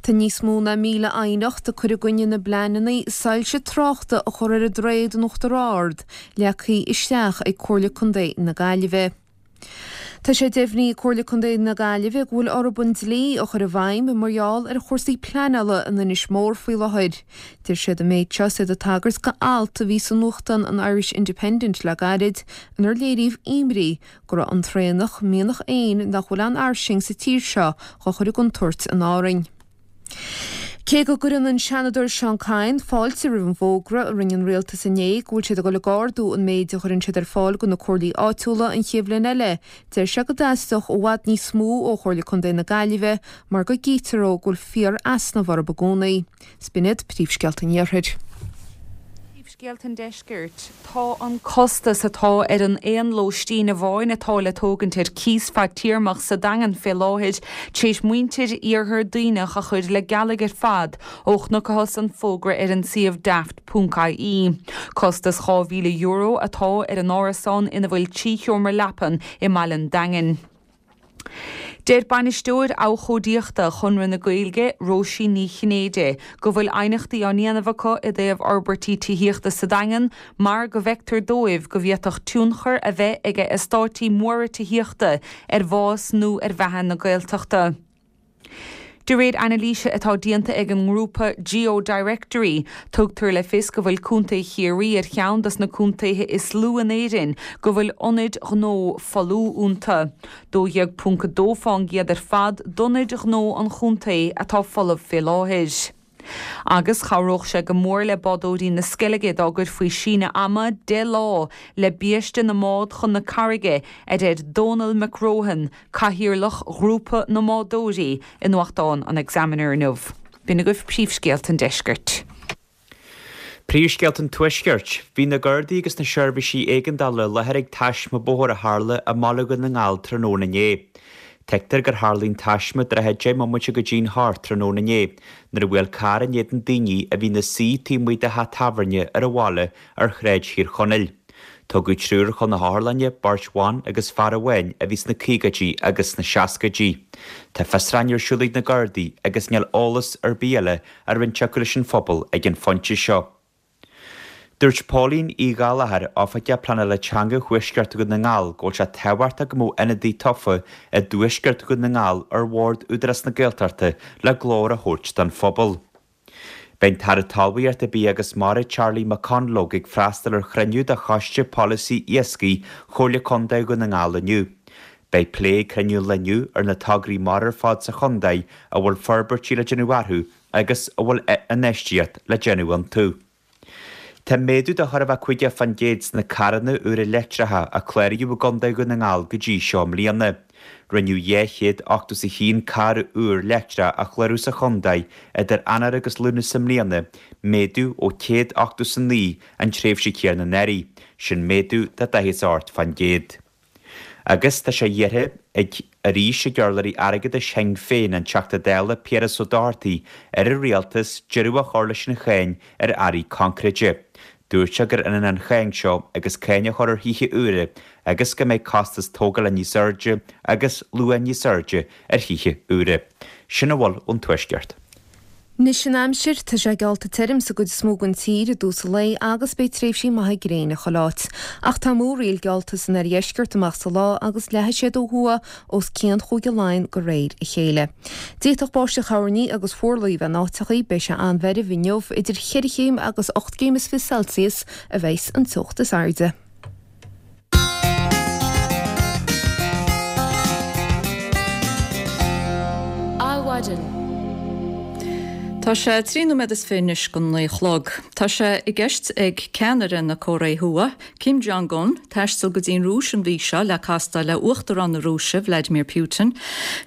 Tá níos mó ná míle aighneacht ag cur i gcoinne na bpleananna soilse tráchta a chur ar an droichead in Uachtar Ard leagtha isteach ag Comhairle Contae na Gaillimhe. Tá sé deimhnithe ag Comhairle Contae na Gaillimhe go bhfuil orthu an dlí a chur i bhfeidhm mar gheall ar chúrsaí pleanála in Inis Mór faoi láthair. Deir siad an méid seo is iad ag tagairt go alt a bhí sa nuachtán an Irish Independent le gairid inar léiríodh imní go raibh an traonach, mianach éin nach bhfuil an-fhairsing sa tír seo, dhá chur i gcontúirt in Árainn. Cé go gcuireann an Seanadóir Seán Kyne fáilte roimh an bhfógra a rinne an rialtas inné go bhfuil siad ag dul ag ardú an méid a chuireann siad ar fáil do na comhairlí áitiúla an chéad bhliain eile, deir sé go dteastódh i bhfad níos mó ó Chomhairle Contae na Gaillimhe mar go gcítear dó go bhfuil fíor-easnamh orthu i gcónaí. 'S b'in iad príomhscéalta an Iarthair. Príomhscéalta an Deiscirt. Tá an costas atá ar an aon lóistín amháin atá le tógaint ar cíos fadtéarmach sa Daingean fé láthair tar éis muintir iarthar Duibhneach a chur le gealaigh ar fad ó chonacthas an fógra ar an suíomh daft ponc ie. Costas dhá mhíle euro atá ar an árasán ina bhfuil trí sheomra leapan i mbaile an Daingin. Deir Bainisteoir Abhcóideachta Chonradh na Gaeilge, Róisín Ní Chinnéide, go bhfuil aighneachtaí á ndéanamh acu i dtaobh fhorbairtí tithíochta sa Daingean mar go bhfeictear dóibh go bhféadfadh tionchar a bheith ag eastáití móra tithíochta ar bhás nó ar bheatha na Gaeltachta. De réir anailíse atá déanta ag an ngrúpa GeoDirectory, tugtar le fios go bhfuil Contae Chiarraí ar cheann dos na contaetha is lú in Éirinn go bhfuil ionaid ghnó folamh iontu. dó dhéag ponc a dó fán gcéad ar fad d'ionaid ghnó an chontae atá folamh fé láthair. Agus chabhródh sé go mór le bádóirí na Sceilge dá gcuirfí síneadh ama deich lá le biaiste na mbád chun na carraige, a deir Dónal McRohan, Cathaoirleach Ghrúpa na mBádóirí, i nuachtán an Examiner inniu. B'in agaibh príomhscéalta an deiscirt. Príomhscéalta an Tuaiscirt. Bhí na Gardaí agus na seirbhísí éigeandála i láthair ag taisme bóthair a tharla i mBaile Dhún na nGall tráthnóna inné. Tuigtear gur tharla an taisme trátha deich mbomaite go dtí'n hocht tráthnóna inné nuair a bhuail carr in éadan daoine a bhí ina suí taobh amuigh de theach tábhairne ar an bhaile ar Shráid Thír Chonaill. Tugadh triúr chun na hotharlainne, beirt bhan agus fear amháin a bhí sna caogaidí agus sna seascaidí. Tá fiosrúchán ar siúl ag na Gardaí agus níl eolas ar bith eile á roinnt acu leis an phobal ag an phointe seo. Dúirt Póilín Uí Ghallchóir, Oifigeach Pleanála Teanga Thuaisceart Dhún na nGall, go bhfuil sé tábhachtach go mbeadh ionadaí tofa i dTuaisceart Dhún na nGall ar bhord Údarás na Gaeltachta le glór a thabhairt don phobal. Beidh an tAire Talmhaíochta, Bia agus Mara Charlie McConalogue ag freastal ar chruinniú de Choiste Polasaí Iascaigh Chomhairle Contae Dhún na nGall inniu. Beidh plé ag cruinniú an lae inniu ar na tograí mara ar fad sa chontae a bhfuil forbairtí le déanamh orthu agus a bhfuil infheistíocht le déanamh iontu. Tá méadú de chóir a bheith caoga fán gcéad sna carranna úra leictreacha a cláraíodh i gContae Dhún na nGall go dtí seo i mbliana. Rinneadh dhá chéad ochtó is a haon carr úr leictreach a chlárú sa chontae idir Eanáir agus Lúnasa i mbliana, méadú ó céad ochtó is a naoi an tréimhse chéanna anuraidh, sin méadú de daichead is a hocht fán gcéad. Agus tá sé iarrtha ag arís ag urlabhraí airgeadais Shinn Féin, an Teachta Dála Piaras Ó Dochartaigh, ar an Rialtas deireadh a chur leis an cháin ar earraí coincréite. Dúirt sé gur ionann an cháin seo agus cáin a chur ar thithe úra agus go mbeidh costas tógála níos airde agus luach níos airde ar thithe úra. Sin a bhfuil ón Tuaisceart. Anois an aimsir, tá sé geallta tirim sa gcuid is mó den tír i dtús an lae agus beidh tréimhsí maithe gréine chuile áit. Ach tá múraíl geallta san oirdheisceart amach sa lá agus leathfaidh siad ó thuaidh os cionn Chúige Laighean de réir a chéile. D'fhéadfadh báisteach thoirní agus fuarlaigh a bheith in áiteachaí, beidh sé an-mheirbh inniu, idir cheithre chéim agus ocht gcéim is fiche Celsius a bheas an teocht is airde. Adhmhaidin. Tá sé trí nóiméad is fiche anois go naoi a chlog. Tá sé i gceist ag ceannaire na Cóiré Thuaidh, Kim Jong-un, taisteal go dtí an Rúis an mhí seo le castáil le Uachtarán na Rúise, Vladimir Putin.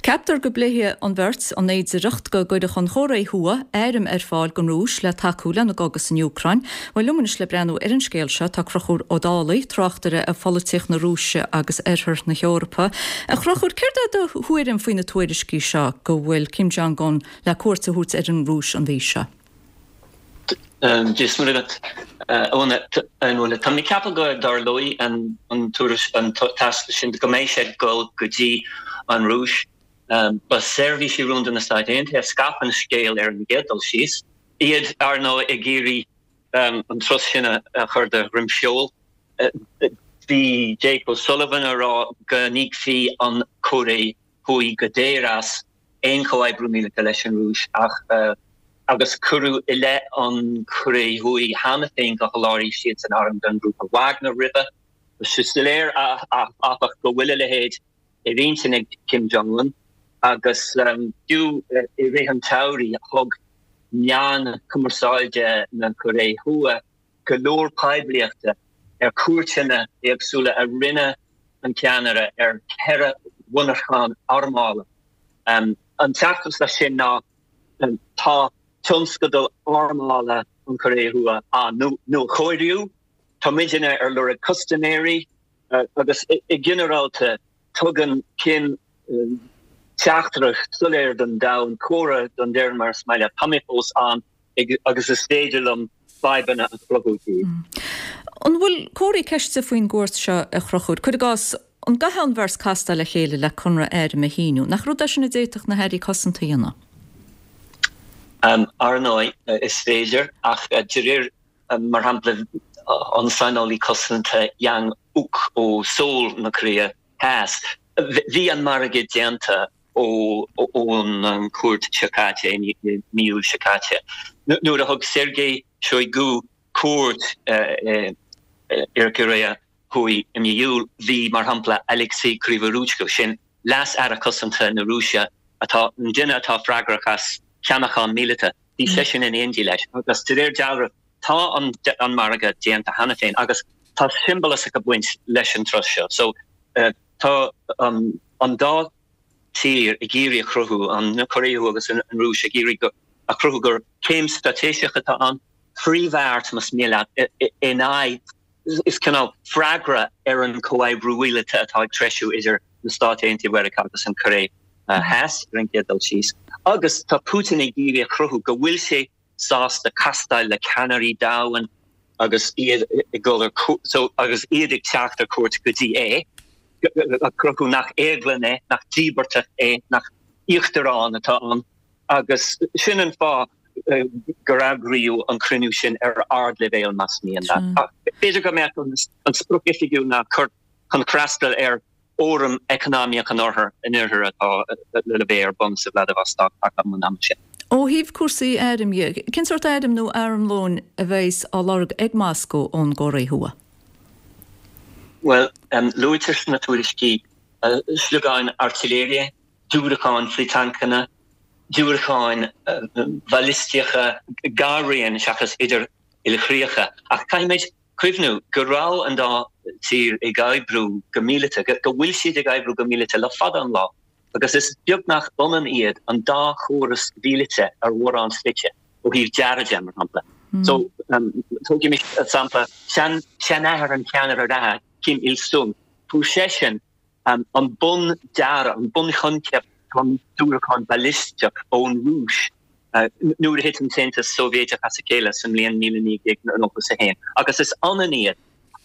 Ceaptar go bpléifidh an bheirt an fhéidearthacht go gcuirfeadh an Chóiré Thuaidh airm ar fáil don Rúis le tacú lena gcogadh san Úcráin. Bhuel, liom anois le breathnú ar an scéal seo tá Conchúr Ó Dálaigh, tráchtaire ar pholaitíocht na Rúise agus Oirthear na hEorpa. A Chonchúir, céard é do thuairim faoi na tuairiscí seo go bhfuil Kim Jong-un le cuairt a thabhairt ar an Rúis an mhí seo? Dia is Muire duit, a Úna. Tá mé ag ceapadh go dtarlóidh an an taisteal sin, go mbeidh sé ag dul go dtí an Rúis. Ba seirbhísí rúnda na Stáit Aontaithe a scaip an scéal ar an gcéad dul síos. Iad, ar ndóigh, ag iarraidh an turas sin a chur de dhroim seoil. Bhí Jake O'Sullivan ag rá go n-íocfaí an Chóiré Thuaidh go daor as aon chomhoibriú míleata leis an Rúis ach agus cuireadh i leith an Chóiré Thuaidh cheana féin gur sholáthraigh siadsan airm don ghrúpa Wagner roimhe. Tá sé soiléir, áfach, go bhfuil a leithéid ar intinn ag Kim Jong-un agus fiú i rith an tsamhraidh thug meáin chumarsáide na Cóiré Thuaidh go leor poiblíochta ar chuairteanna éagsúla a rinne an ceannaire ar cheithre mhonarchan armála. An teachtaireacht as sin ná tá tionscadal armála an Chóiré Thuaidh á nuachóiriú, tá muidne ar lorg custaiméirí agus i ginearálta tugann Kim teachtaireacht soiléir don domhan, comhartha don deireadh mar is maith leat, tá mé fós ann agus is féidir liom fadhbanna a chruthú daoibh. An bhfuil comharthaí ceiste faoin gcuairt seo a Chonchúir? Cuir i gcás, An gcaithfidh an bheirt castáil le chéile le conradh airm a shíniú? Nach rud é sin a d'fhéadfadh na hairí cosanta a dhéanamh? Ar ndóigh, is féidir, ach de réir, mar shampla, an saineolaí cosanta Yang Uk ó Seoul na Cóiré Theas, bhí an margadh déanta ón chuairt seo caite, i mí Iúil seo caite, nuair a thug Sergei Shoigu cuairt ar Chóiré Thuaidh i mí Iúil, bhí, mar shampla, Alexei Krivoruchko, sin Leas-Aire Cosanta na Rúise, atá, an duine atá freagrach as ceannachán míleata, bhí seisean in éindí leis. Agus de réir dealraimh, tá an margadh déanta cheana féin agus tá siombalachas ag baint leis an turas seo. So, tá an dá tír ag iarraidh a chruthú, an Chóiré Thuaidh agus an Rúis ag iarraidh a chruthú gur céim straitéiseach atá ann, frithbheart, más mian leat, in aghaidh Is cineál freagra ar an chomhoibriú mhíleata atá ag treisiú idir na Stáit Aontaithe Mheiriceá agus an Chóiré Theas, ar an gcéad dul síos. Agus tá Putin ag iarraidh a chruthú go bhfuil sé sásta castáil le ceannairí domhain agus iad ag dul ar so agus iad ag teacht ar cuairt go dtí é, a chruthú nach éaglann é, nach íospartach é, nach íochtarán atá ann. Agus sin an fáth gur eagraíodh an cruinniú sin ar ardleibhéal, más mian leat. Ach b'fhéidir go mbeadh an sprioc oifigiúil ná cur chun freastal ar Fhóram Eacnamaíoch an Oirthir, an Oirthir atá le bheith ar bun sa Vladivostok thart an am sin. Ó thaobh cúrsaí airm dhe, cén sórt airm nó armlóin a bheas á lorg ag Moscó ón gCóiré Thuaidh? Bhuel, luaitear sna tuairiscí sliogáin airtléire, diúracáin frith-tancanna, diúracáin bhalaistíocha gar-raoin seachas idir ilchríocha. Ach caithfimid cuimhniú go raibh an dá tír ag oibriú go míleata, go bhfuil siad ag oibriú go míleata le fada an lá, agus is beagnach ionann iad an dá chóras mhíleata ar mhórán slite, ó thaobh dearaidh de, mar shampla. So, tógaimis sampla seanathair an cheannaire reatha, Kim Il-sung, fuair seisean an bun-dearadh, an bun-choincheap don diúracán balaisteach ón Rúis nuair a thit an tAontas Sóivéadach as a chéile sa mbliain míle naoi gcéad nócha is a haon, agus is ionann iad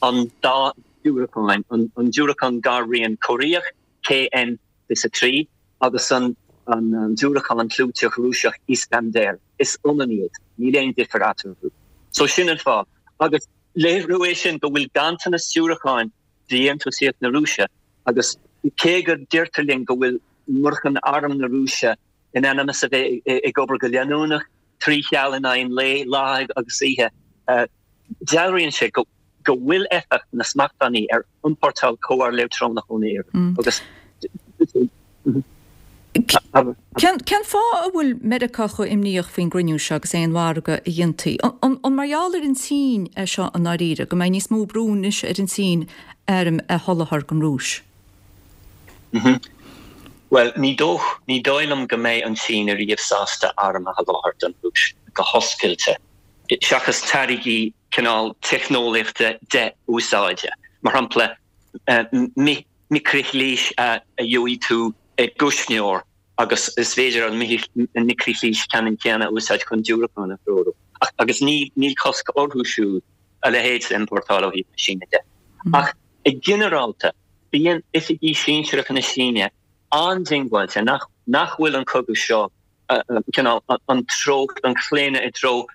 an dá diúracán, an diúracán gar-raoin Cóiréach, K N fiche a trí, agus an diúracán clúiteach Rúiseach Iskander, is ionann iad, níl aon difear eatarthu. So sin an fáth. Agus léiriú é sin go bhfuil ganntanas diúracáin de dhéantúsaíocht na Rúise agus cé go deirtear linn go bhfuil murchan arm na Rúise in ainm is a bheith ag obair go leanúnach, trí sheal in aghaidh an lae, lá agus oíche, dealraíonn sé go bhfuil éifeacht na smachtbhannaí ar iompórtáil comhar leictreonach ón Iaráin agus. Cén fáth a bhfuil Meiriceá chomh imníoch faoin gcruinniú seo agus aon mhargadh a dhéanfaí? An mar gheall ar an tSín é seo i ndáiríre, go mbeidh níos mó brú anois ar an tSín airm a sholáthar don Rúis? Bhuel, ní dóigh, ní dóigh liom go mbeidh an tSín ariamh sásta arm a sholáthar don Rúis go hoscailte, seachas táirgí cineál teicneolaíochta dé-úsáide. Mar shampla, micrishlis a gheobhaidh tú i gcuisneoir agus is féidir an micrishlis ceannann céanna a úsáid chun diúracán a threorú. Agus níl cosc orthu siúd a leithéid a iompórtáil ó thaobh na Síne de. Ach i ginearálta, bíonn oifigigh sinsearacha na Síne an-diongbháilte nach nach bhfuil an cogadh seo, cineál an treocht, an claonadh i dtreo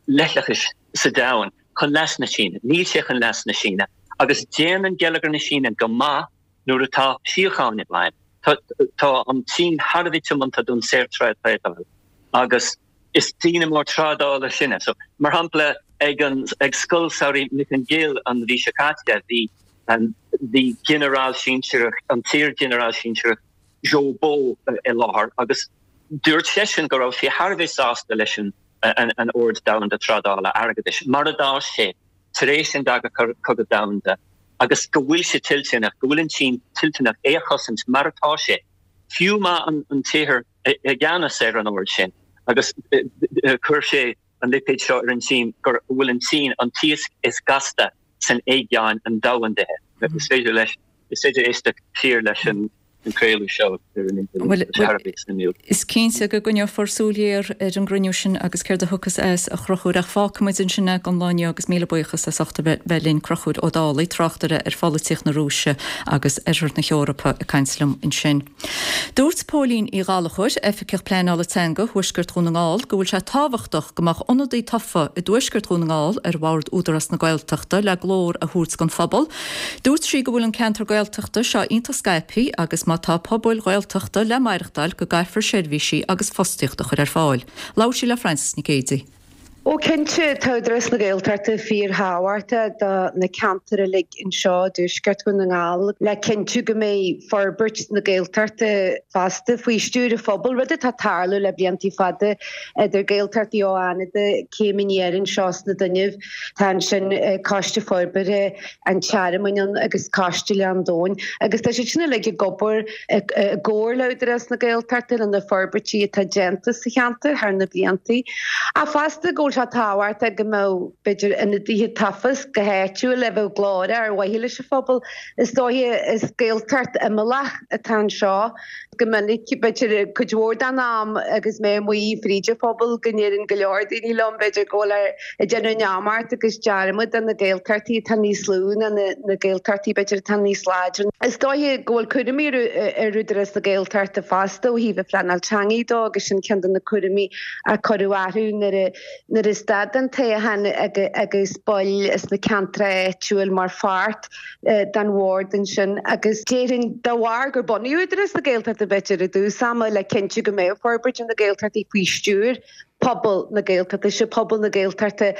leithleachais sa domhan chun leas na Síne. Níl sé chun leas na Síne. Agus déanann geilleagar na Síne go maith nuair atá síocháin i bhfeidhm. Tá an tSín thar a bheith tiomanta don saorthrádáil agus is daoine mór trádála sinne. So, mar shampla, ag an ag Scoil Samhraidh Mhic an Ghill an mhí seo caite, bhí bhí ginearál sinsearach, an t-iar-ghinearál sinsearach Zhou Bo i láthair agus dúirt seisean go raibh sé thar a bheith sásta leis an an ord domhanda trádála airgeadais mar a d'fhás sé tar éis an Dara Cogadh Domhanda agus go bhfuil sé toilteanach, go bhfuil an tSín toilteanach é a chosaint mar atá sé, fiú má an tIarthar i gceannas ar an ord sin. Agus chuir sé an lipéad seo ar an tSín go bhfuil an tSín an t-iasc is gasta san aigéan an domhandaithe. Is féidir leis, is féidir éisteacht siar leis an an craoladh seo ar an idirlíon. Tá sé thar a bheith suimiúil. Is cinnte go gcoinneofar súil ghéar ar an gcruinniú sin agus céard a thiocfas as, a Chonchúir, ach fágfaimid ansin é don lá inniu agus míle buíochas as ucht a bheith linn, Conchúr Ó Dálaigh, tráchtaire ar pholaitíocht na Rúise agus Oirthear na hEorpa ag caint liom ansin. Dúirt Póilín Uí Ghallchóir, Oifigeach Pleanála Teanga Thuaisceart Dhún na nGall, go bhfuil sé tábhachtach go mbeadh ionadaí tofa i dTuaisceart Dhún na nGall ar bhord Údarás na Gaeltachta le glór a thabhairt don phobal. Dúirt sí go bhfuil an ceantar Gaeltachta seo iontach scaipthe agus má tá pobail Ghaeltachta le maireachtáil go gcaithfear seirbhísí agus fostaíocht a chur ar fáil. Labhair sí le Frances Nic Géadaigh. Ó cinnte, tá Údarás na Gaeltachta fíorthábhachtach do na ceantair uilig anseo i dTuaisceart Dhún na nGall le cinntiú go mbeidh forbairt na Gaeltachta fosta faoi stiúir an phobail, rud atá ag tarlú le blianta fada idir Gaeltachtaí ó Fhánada, Céim Aniar anseo sna Dúnaibh. Tá ansin Coiste Forbartha an Tearmainn ann agus Coiste Ghleann Domhain agus tá siad sin uilig ag obair i gcomhar le Údarás na Gaeltachta le na forbairtí atá déanta sa cheantar thar na blianta. Ach fosta go bhfuil sé tábhachtach go mbeadh, b'fhéidir, ionadaithe tofa go háitiúil a bheadh glórach ar mhaithe leis an phobal. Is dóiche is Gaeltacht imeallach atá anseo. Go minic, b'fhéidir, cuid mhór den am agus mé amuigh fríd an phobal go ndeireann go leor daoine liom, b'fhéidir, go bhfuil ag déanamh neamart agus dearmad de na Gaeltachtaí atá níos lú ná na Gaeltachtaí, b'fhéidir, atá níos láidre. Is dóiche go bhfuil cúraimí ar Údarás na Gaeltachta fosta ó thaobh an phleanáil teanga de agus sin ceann de na cúraimí a cuireadh orthu nuair a nuair a stad an toghchán agus baill as na ceantracha áitiúil mar pháirt den bhord ansin agus déarfainn de bharr gur bunaíodh Údarás na Gaeltachta b'fhéidir i dtús ama le cinntiú go mbeadh forbairt na Gaeltachtaí faoi stiúir pobal na Gaeltachta, sé pobal na Gaeltachta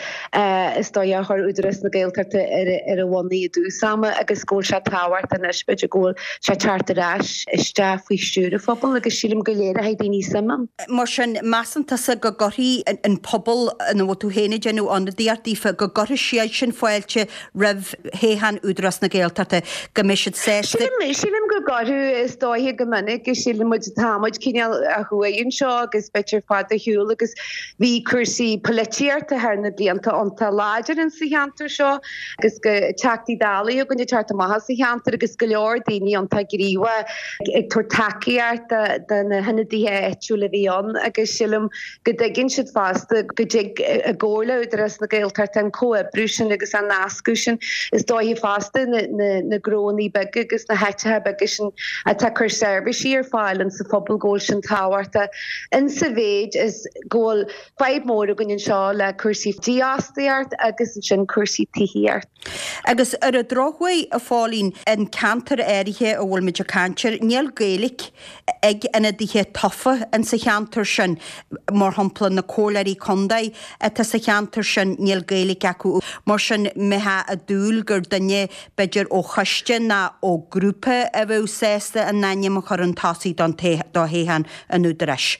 is dóigh a chuir Údarás na Gaeltachta ar a bhonn i dtús ama agus go bhfuil sé tábhachtach anois b'fhéidir go bhfuil sé ag teacht ar ais isteach faoi stiúir an phobail agus sílim go léireoidh daoine suim ann. Mar sin, measann tusa go gcuirfidh an pobal ina bhfuil tú féin ag déanamh ionadaíocht daofa, go gcuirfidh siad sin fáilte roimh thoghchán Údarás na Gaeltachta, go mbeidh siad sásta. Sílim, sílim go gcuirfidh, is dóiche go minic, sílim muid, tá muid cineál ó thuaidh anseo agus b'fhéidir fada ar shiúl agus bhí cúrsaí polaitíochta thar na blianta iontach láidir insa cheantar seo agus go Teachtaí Dála againn ag teacht amach as an cheantar agus go leor daoine iontach gníomhach ag tabhairt tacaíocht do na hionadaithe áitiúla a bhí ann agus sílim go dtuigeann siad fosta go dtig i gcomhar le Údarás na Gaeltachta an comhoibriú sin agus an nascadh sin. Is dóiche fosta na gnóanna beaga agus na háiteacha beaga sin atá ag cur seirbhísí ar fáil insa phobal go bhfuil sin tábhachtach insa mhéid is go bhfuil fadhb mór againn anseo le cúrsaí dífhostaíocht agus ansin cúrsaí tithíocht. Agus ar an drochuair, a Phóilín, an ceantar áirithe a bhfuil muid ag caint air, níl Gaeilge ag ionadaithe tofa insa cheantar sin. Mar shampla, na comhairleoirí contae atá sa cheantar sin, níl Gaeilge acu. Mar sin, mbeifeá ag dúil gur duine, b'fhéidir, ó choiste ná ó ghrúpa a bheadh sásta a n-ainm a chur chun tosaigh don do thoghchán an Údaráis.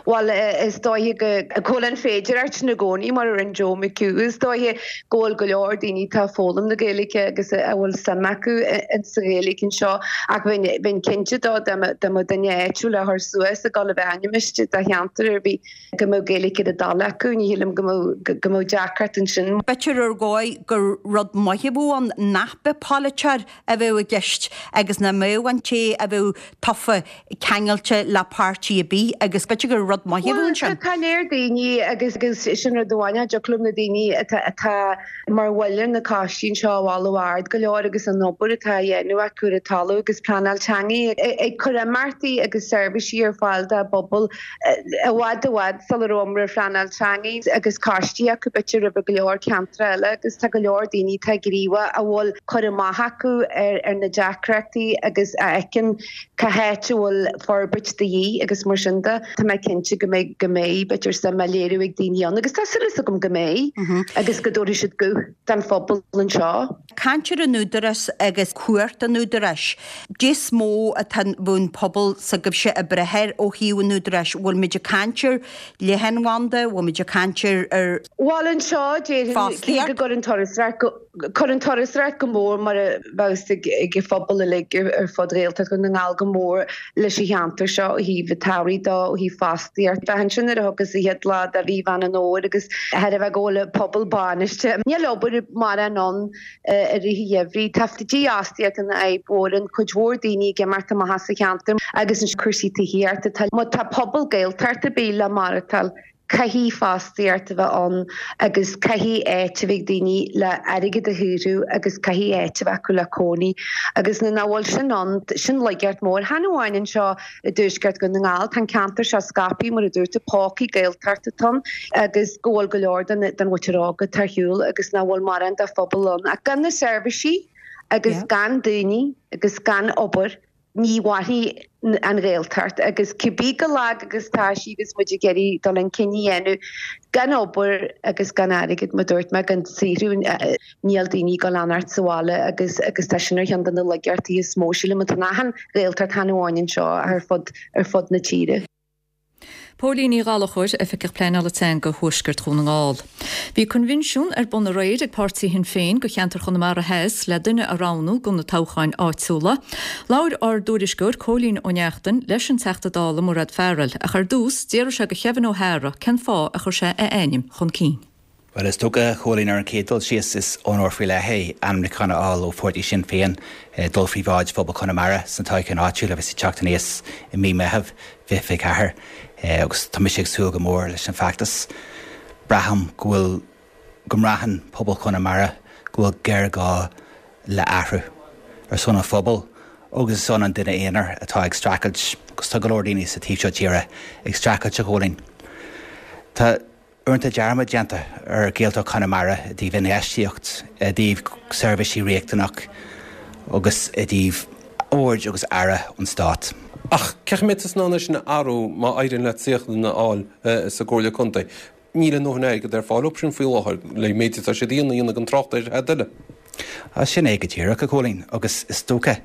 Bhuel, is dóiche go bhfuil an féidearthacht sin i gcónaí, mar a rinne Joe McHugh. Is dóiche go bhfuil go leor daoine atá ag foghlaim na Gaeilge agus a bhfuil suim acu insa Ghaeilge anseo ach bheinn cinnte dá mbeadh duine áitiúil á chur suas ag dul a bheith ainmnithe do cheantar ar bith go mbeadh Gaeilge ar a dtoil acu. Ní shílim go mbeadh deacracht ansin. B'fhéidir ar dhóigh gur rud maith a bheadh ann nach mbeadh polaiteoir a bheadh i gceist agus nach mbeadh an té a bheadh tofa ceangailte le páirtí ar bith agus b'fhéidir gur rud maith a bheadh ansin. Tá léir daoine agus sin rud amháin a dtiocfadh liom na daoine atá mar bhaill ar na coistí anseo a mholadh ard go leor agus an obair atá á dhéanamh acu ar an talamh agus pleanáil teanga ag cur imeachtaí agus seirbhísí ar fáil dá bpobal i bhfad i bhfad sula raibh iomrá ar phleanáil teanga agus coistí acu b'fhéidir roimh go leor ceantar eile agus tá go leor daoine atá gníomhach a bhfuil cur amach acu ar na deacrachtaí agus a fheiceann cá háit a bhfuil forbairt de dhíth agus mar sin de. Tá mé cinnte go mbeidh, go mbeidh, b'fhéidir suim á léiriú ag daoine ann agus tá súil agam go mbeidh agus go dtabharfaidh siad guth don phobal anseo. Caint ar an Údarás agus cumhacht an Údaráis. Cad is mó atá an pobal s'agaibhse ag brath air ó thaobh an Údaráis. Bhfuil muid ag caint ar leathanbhanda, bhfuil muid ag caint ar Bhuel anseo déarfainn cé go gcuireann turasóireacht go. Cuireann turasóireacht go mór mar a bheadh ag ag an phobal uilig ar fud Ghaeltacht Dhún na nGall go mór leis an cheantar seo ó thaobh an tsamhraidh de, ó thaobh fostaíocht. Bheith ansin nuair a thiocfas an chéad lá de mhí Mheán an Fhómhair agus thar a bheith go bhfuil an pobal bainiste. Níl obair mórán ann i rith an gheimhridh. Tá dífhostaíocht ina fhadhb mhór, an cuid mhór daoine ag imeacht amach as an cheantar agus an cúrsaí tithíochta. Tá má tá pobal Gaeltachta ar bith le maireachtáil, caithfidh fostaíocht a bheith ann agus caithfidh áit a bheith ag daoine le airgead a shaothrú agus caithfidh áit a bheith acu le cónaí agus nuair nach bhfuil sin ann, sin laigeacht mór. Chan amháin anseo i dtuaisceart Dhún na nGall, tá an ceantar seo scaipthe mar a dúirt tú, pócaí Gaeltachta atá ann agus go bhfuil go leor den den mhuintir óg atá ar shiúl agus nach bhfuil mórán de phobal ann ach gan na seirbhísí agus gan daoine agus gan obair ní mhairfidh an Ghaeltacht agus cibé chomh lag agus tá sí agus muid ag iarraidh dul chun cinn a dhéanamh, gan obair agus gan airgead, mar dúirt mé, gan saothrú, níl daoine ag dul a fhanacht sa bhaile agus agus tá sin ar cheann de na laigeachtaí is mó, sílim, atá in achan Ghaeltacht, chan amháin anseo ach ar fud ar fud na tíre. Póilín Ní Ghallchóir, Oifigeach Pleanála Teanga Thuaisceart Dhún na nGall. Bhí coinbhinsiún ar bun aréir ag páirtí Shinn Féin do cheantar Chonamara Theas le duine a roghnú do na toghcháin áitiúla. Labhair ár dtuairisceoir Cóilín Ó Neachtain leis an Teachta Dála Mairéad Farrell ach ar dtús d'fhiafraigh sé de Kevin O'Hara cén fáth a chuir sé a ainm chun cinn. Bhuel, is dócha, a Chóilín, ar an chéad dul síos, is onóir faoi leith é ainmniúchán a fháil ó pháirtí Sinn Féin dul faoi bhráid phobal Chonamara sna toghcháin áitiúla a bheas ag teacht aníos i mí Meitheamh fiche fiche ceathair agus tá mise ag súil go mór leis an bhfeachtas. Braithim go bhfuil, go mbraitheann pobal Chonamara go bhfuil géarghá le athrú ar son an phobail agus ar son an duine aonair atá ag streachailt agus tá go leor daoine sa taobh seo tíre ag streachailt, a Chóilín. Tá. Uaireanta dearmad déanta ar Ghaeltacht Chonamara i dtaobh infheistíocht, i dtaobh seirbhísí riachtanach agus i dtaobh aird agus aire ón Stát. Ach cén chaoi a mbeidh tusa in ann é sin a athrú má éiríonn leat suíochán a fháil sa gComhairle Contae? Níl a ndóthain airgead ar fáil dóibh sin faoi láthair le méid atá siad a dhéanamh gan trácht ar tada eile. Sin é go díreach, a Chóilín, agus is dócha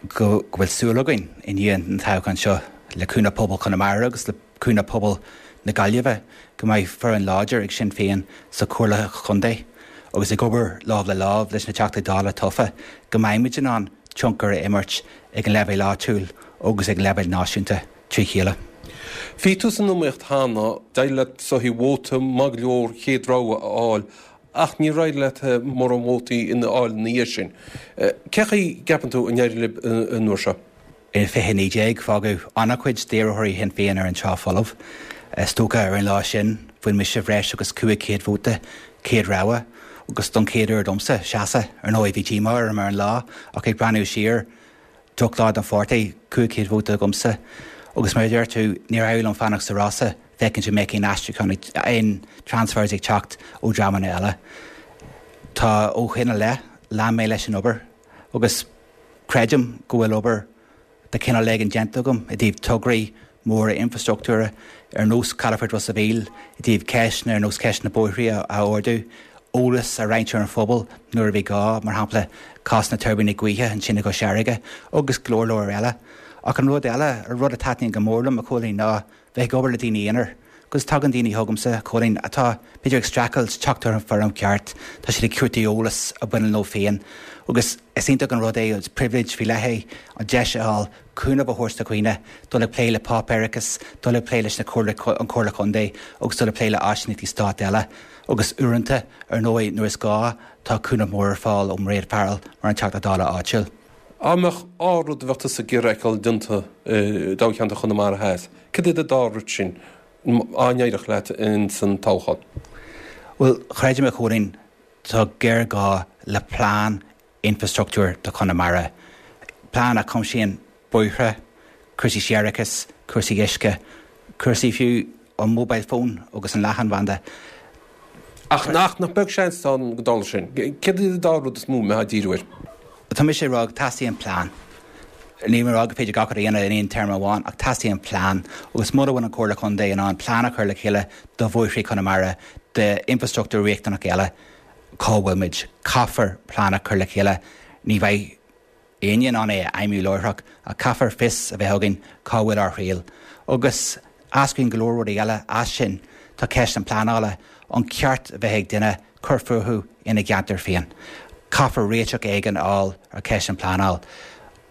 go bhfuil súil againn i ndiaidh an toghcháin seo le cúnamh pobal Chonamara agus le cúnamh pobal na Gaillimhe go mbeidh foireann láidir ag Sinn Féin sa Chomhairle Chontae agus ag obair lámh le lámh leis na Teachtaí Dála tofa go mbeimid in ann tionchar a imirt ag an leibhéal áitiúil agus ag an leibhéal náisiúnta trí chéile. Bhí tú san iomaíocht cheana, d'éirigh leat is dóichí vóta maith go leor chéad rogha a fháil ach níor éirigh leat mórán vótaí a fháil ina dhiaidh sin. Cén chaoi a gceapann tú a n-éireoidh libh an uair seo? I fiche naoi déag, fágadh an-chuid d'iarrthóirí Shinn Féin ar an trá folamh. Is dócha ar an lá sin, bhain mise bhreis agus cúig chéad vóta chéad rogha agus don chéad uair domsa seasamh. Ar ndóigh, bhí díomá orm ar an lá ach ag breathnú siar, drochlá don pháirtí, cúig chéad vóta agamsa agus mar a deir tú, níor éirigh liom fanacht sa rása féachaint an mbeadh aon aistriúchán, aon transfers ag teacht ó dhreamanna eile. Tá ó shin i leith, lean mé leis an obair agus creidim go bhfuil obair de chineál éigin déanta agam i dtaobh tograí móra infrastruchtúra ar nós Calafort Ros a' Mhíl, i dtaobh ceisteanna ar nós ceist na bóithrí a ardú, eolas a roinnt ar an phobal nuair a bhí gá, mar shampla cás na tuirbíní gaoithe ansin i gCois Fharraige agus go leor leor eile. Ach an rud eile, an rud a taitníonn go mór liom, a Chóilín, ná bheith ag obair le daoine aonair. Agus tagann daoine chugamsa, a Chóilín, atá, b'fhéidir, ag streachailt teacht ar an bhfoirm cheart, tá siad ag cuartú eolas a bhaineann leo féin agus is iontach an rud é, is pribhléid faoi leith é an deis a fháil cúnamh a thabhairt do dhaoine, dul ag plé le páipéarachas, dul ag plé leis na Comhairle, an Chomhairle Contae agus dul ag plé le áisíneachtaí stáit eile. Agus uaireanta, ar ndóigh, nuair is gá, tá cúnamh mór ar fáil ó Mairéad Farrell mar an Teachta Dála áitiúil. Dá mbeadh dhá rud a bheadh tusa ag iarraidh a fheiceáil déanta i dtoghcheantar Chonamara Theas, cad iad an dá rud sin dá n-éireodh leat ins an toghchán? Bhuel, creidim, a Chóilín, tá géarghá le plean infrastruchtúir do Chonamara, plean a chuimsíonn bóithre, cúrsaí séarachais, cúrsaí uisce, cúrsaí fiú an mobile phone agus an leathanbhanda. Ach nach nach beag seans atá ann go dtarlódh sin? Céard iad an dá rud is mó a mbeifeá ag díriú air? Tá mise ag rá go teastaíonn plean. Níl mé ag rá gur féidir gach rud a dhéanamh in aon téarma amháin ach teastaíonn plean agus mura bhfuil an Chomhairle Contae in ann plean a chur le chéile do bhóithrí Chonamara, d'infrastruchtúr riachtanach eile, cá bhfuil muid? Caithfear plean a chur le chéile. Ní bheidh éinne in ann é a fheidhmiú láithreach ach caithfear fios a bheith againn cá bhfuil ár thriall. Agus eascraíonn go leor rudaí eile as sin. tá ceist an pleanála, an ceart a bheith ag duine cur fúthu ina gceantar féin. Caithfear réiteach éigin a fháil ar cheist an pleanáil.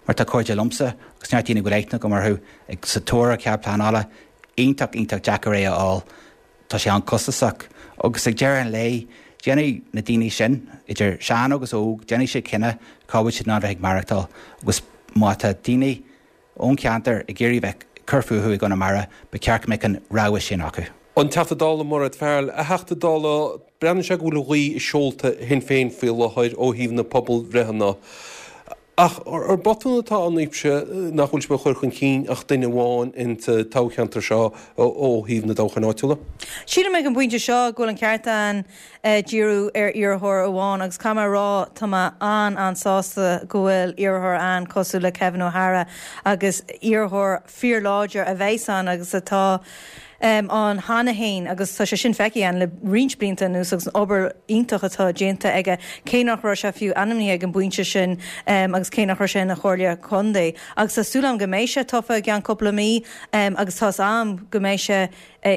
Mar tá cairde liomsa agus neart daoine go bhfuil aithne agam orthu ag sa tóir ar chead pleanála, iontach iontach deacair é a fháil. Tá sé an-chostasach. Agus ag deireadh an lae, déanfaidh na daoine sin, idir sean agus óg, déanfaidh siad cinneadh cá bhfuil siad in ann a bheith ag maireachtáil. Agus má tá daoine ón cheantar ag iarraidh bheith ag cur fúthu i gConamara, ba cheart go mbeadh an rogha sin acu. An Teachta Dála Mairéad Farrell, A Theachta Dála, breathnaíonn sé go bhfuil an ghaoth i seolta Shinn Féin faoi láthair ó thaobh na pobalbhreitheanna. Ach ar botún atá ann daoibhse nach bhfuil sibh ag cur chun cinn ach duine amháin insa toghcheantar seo ó thaobh na dtoghcháin áitiúla? Sílim ag an bpointe seo go bhfuil an ceart ann díriú ar iarrthóir amháin agus caithfidh mé a rá tá mé an-an-sásta go bhfuil iarrthóir ann cosúil le Kevin O'Hara agus iarrthóir fíorláidir a bheas ann agus atá ann cheana féin agus tá sé sin feicthe againn le roinnt blianta anuas agus an obair iontach atá déanta aige cé nach raibh sé fiú ainmnithe ag an bpointe sin agus cé nach raibh sé ina chomhairleoir contae. Agus tá súil agam go mbeidh sé tofa i gceann cúpla mí agus tá's agam go mbeidh sé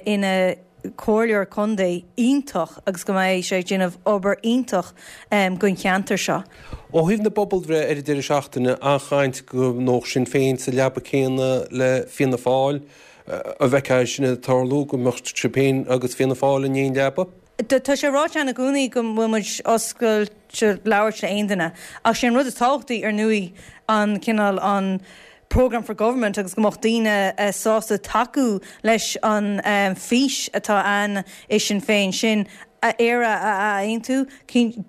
ina chomhairleoir contae iontach agus go mbeidh sé ag déanamh obair iontach don cheantar seo. Ó thaobh na bpobalbhreith ar an deireadh seachtaine, an-chaint go mbeadh Sinn Féin sa leaba céanna le Fianna Fáil. An bhfeicfeá é sin ag tarlú, go mbeadh sibh féin agus Fianna Fáil in aon leaba? Tá sé ráite againn i gcónaí go bhfuil muid oscailte labhairt le aon duine. Ach sé an rud is tábhachtaí, ar ndóigh, an cineál, an programme for government agus go mbeadh daoine sásta tacú leis an fís atá ann i Sinn Féin, sin Éire a ath-aontú,